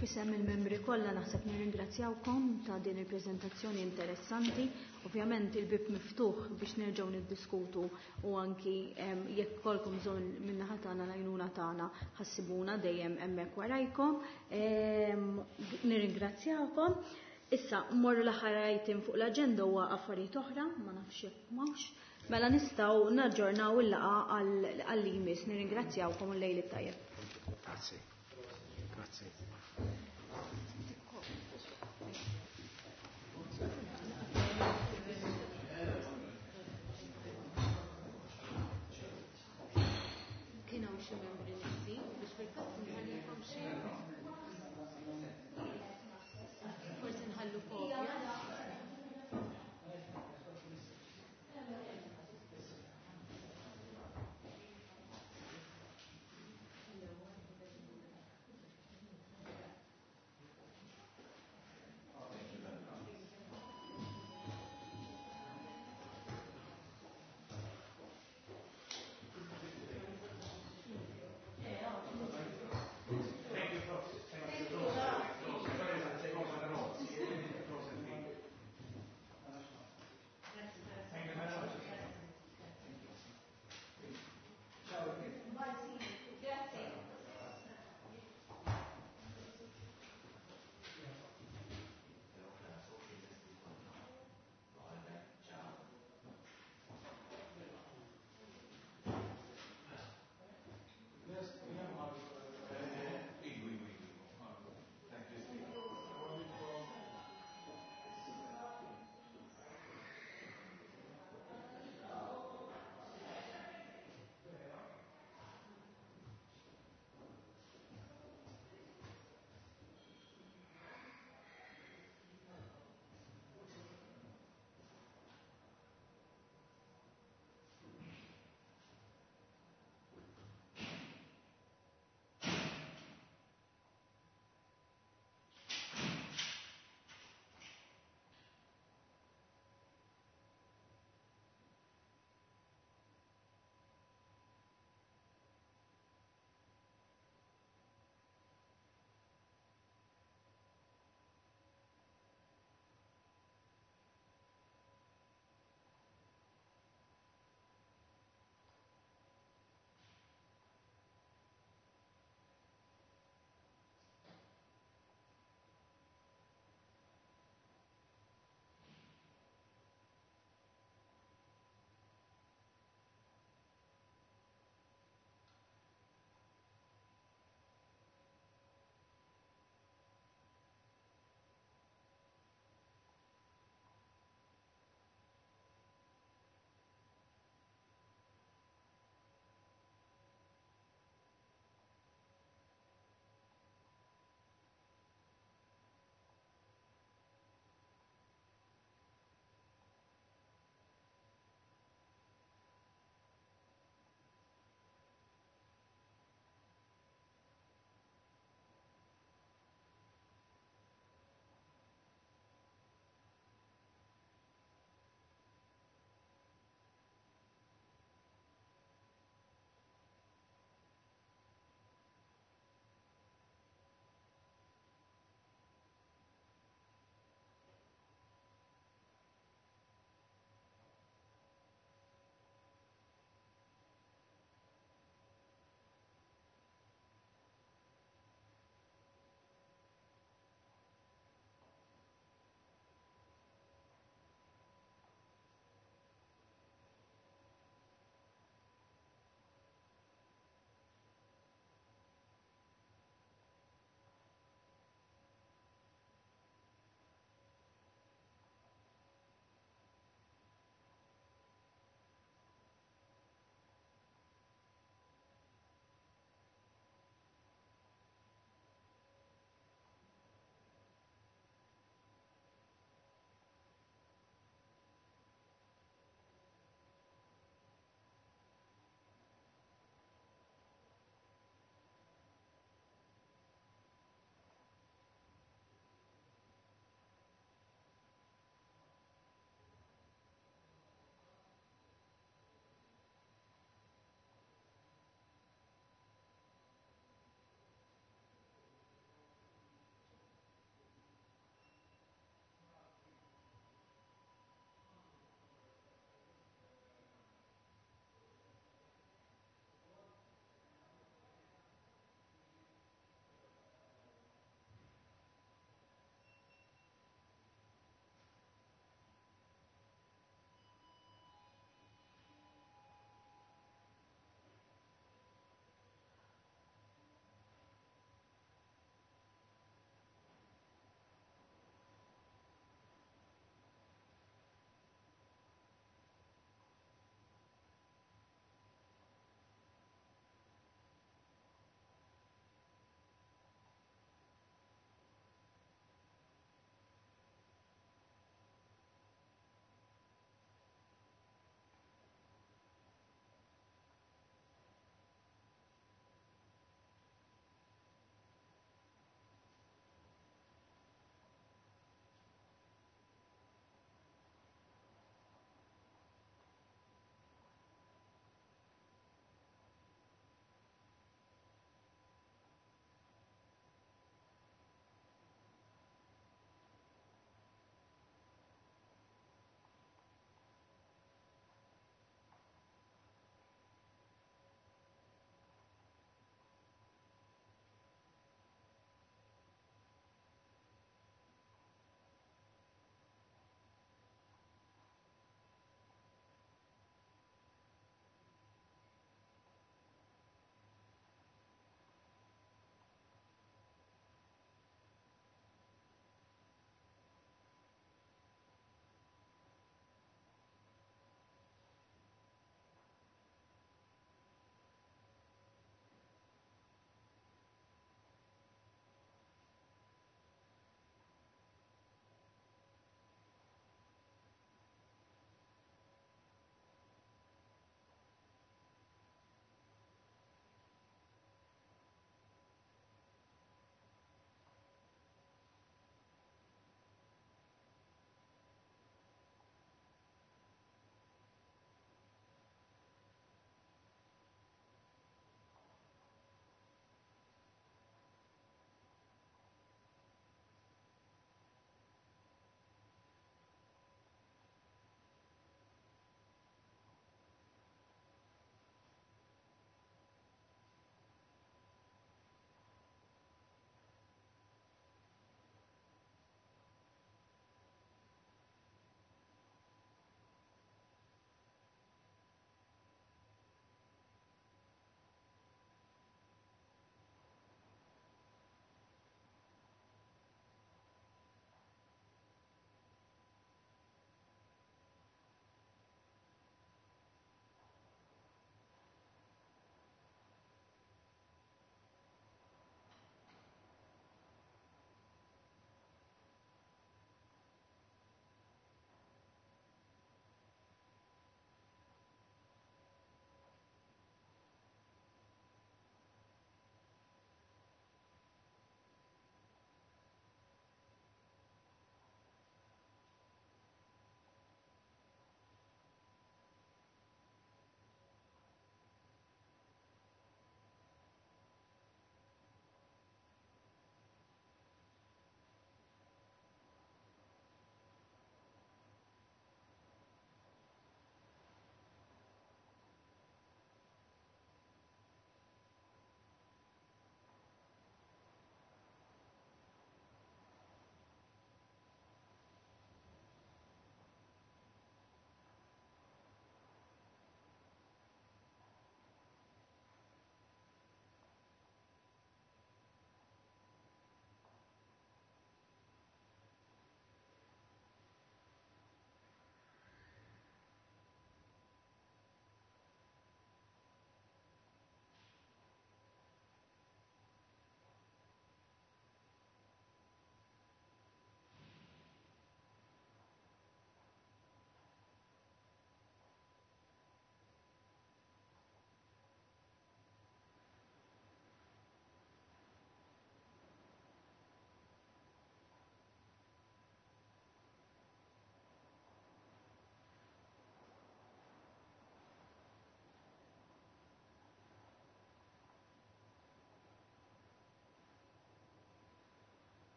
F'isem il-membri kollha naħseb nirringrazzjawkom ta' din il-preżentazzjoni interessanti. Ovvjament il-bib miftuħ biex nerġgħu niddiskutu u anki jekk ikollkom bżonn min-naħa tagħna l-għajnuna tagħna ħassibuna dejjem hemmhekk warajkom. Nirringrazzjawkom. Issa mmorru l-aħħar item fuq l-aġenda huwa affarijiet oħra, ma nafx jekk m'hawnx. Mela nistgħu naġġornaw il-laqgħa għal-limis. Nirringrazzjawkom u lejl it-tajjeb. Grazzi. Grazzi. Kien hawn xi membri neqsin biex fil-fatt nħallilkom xi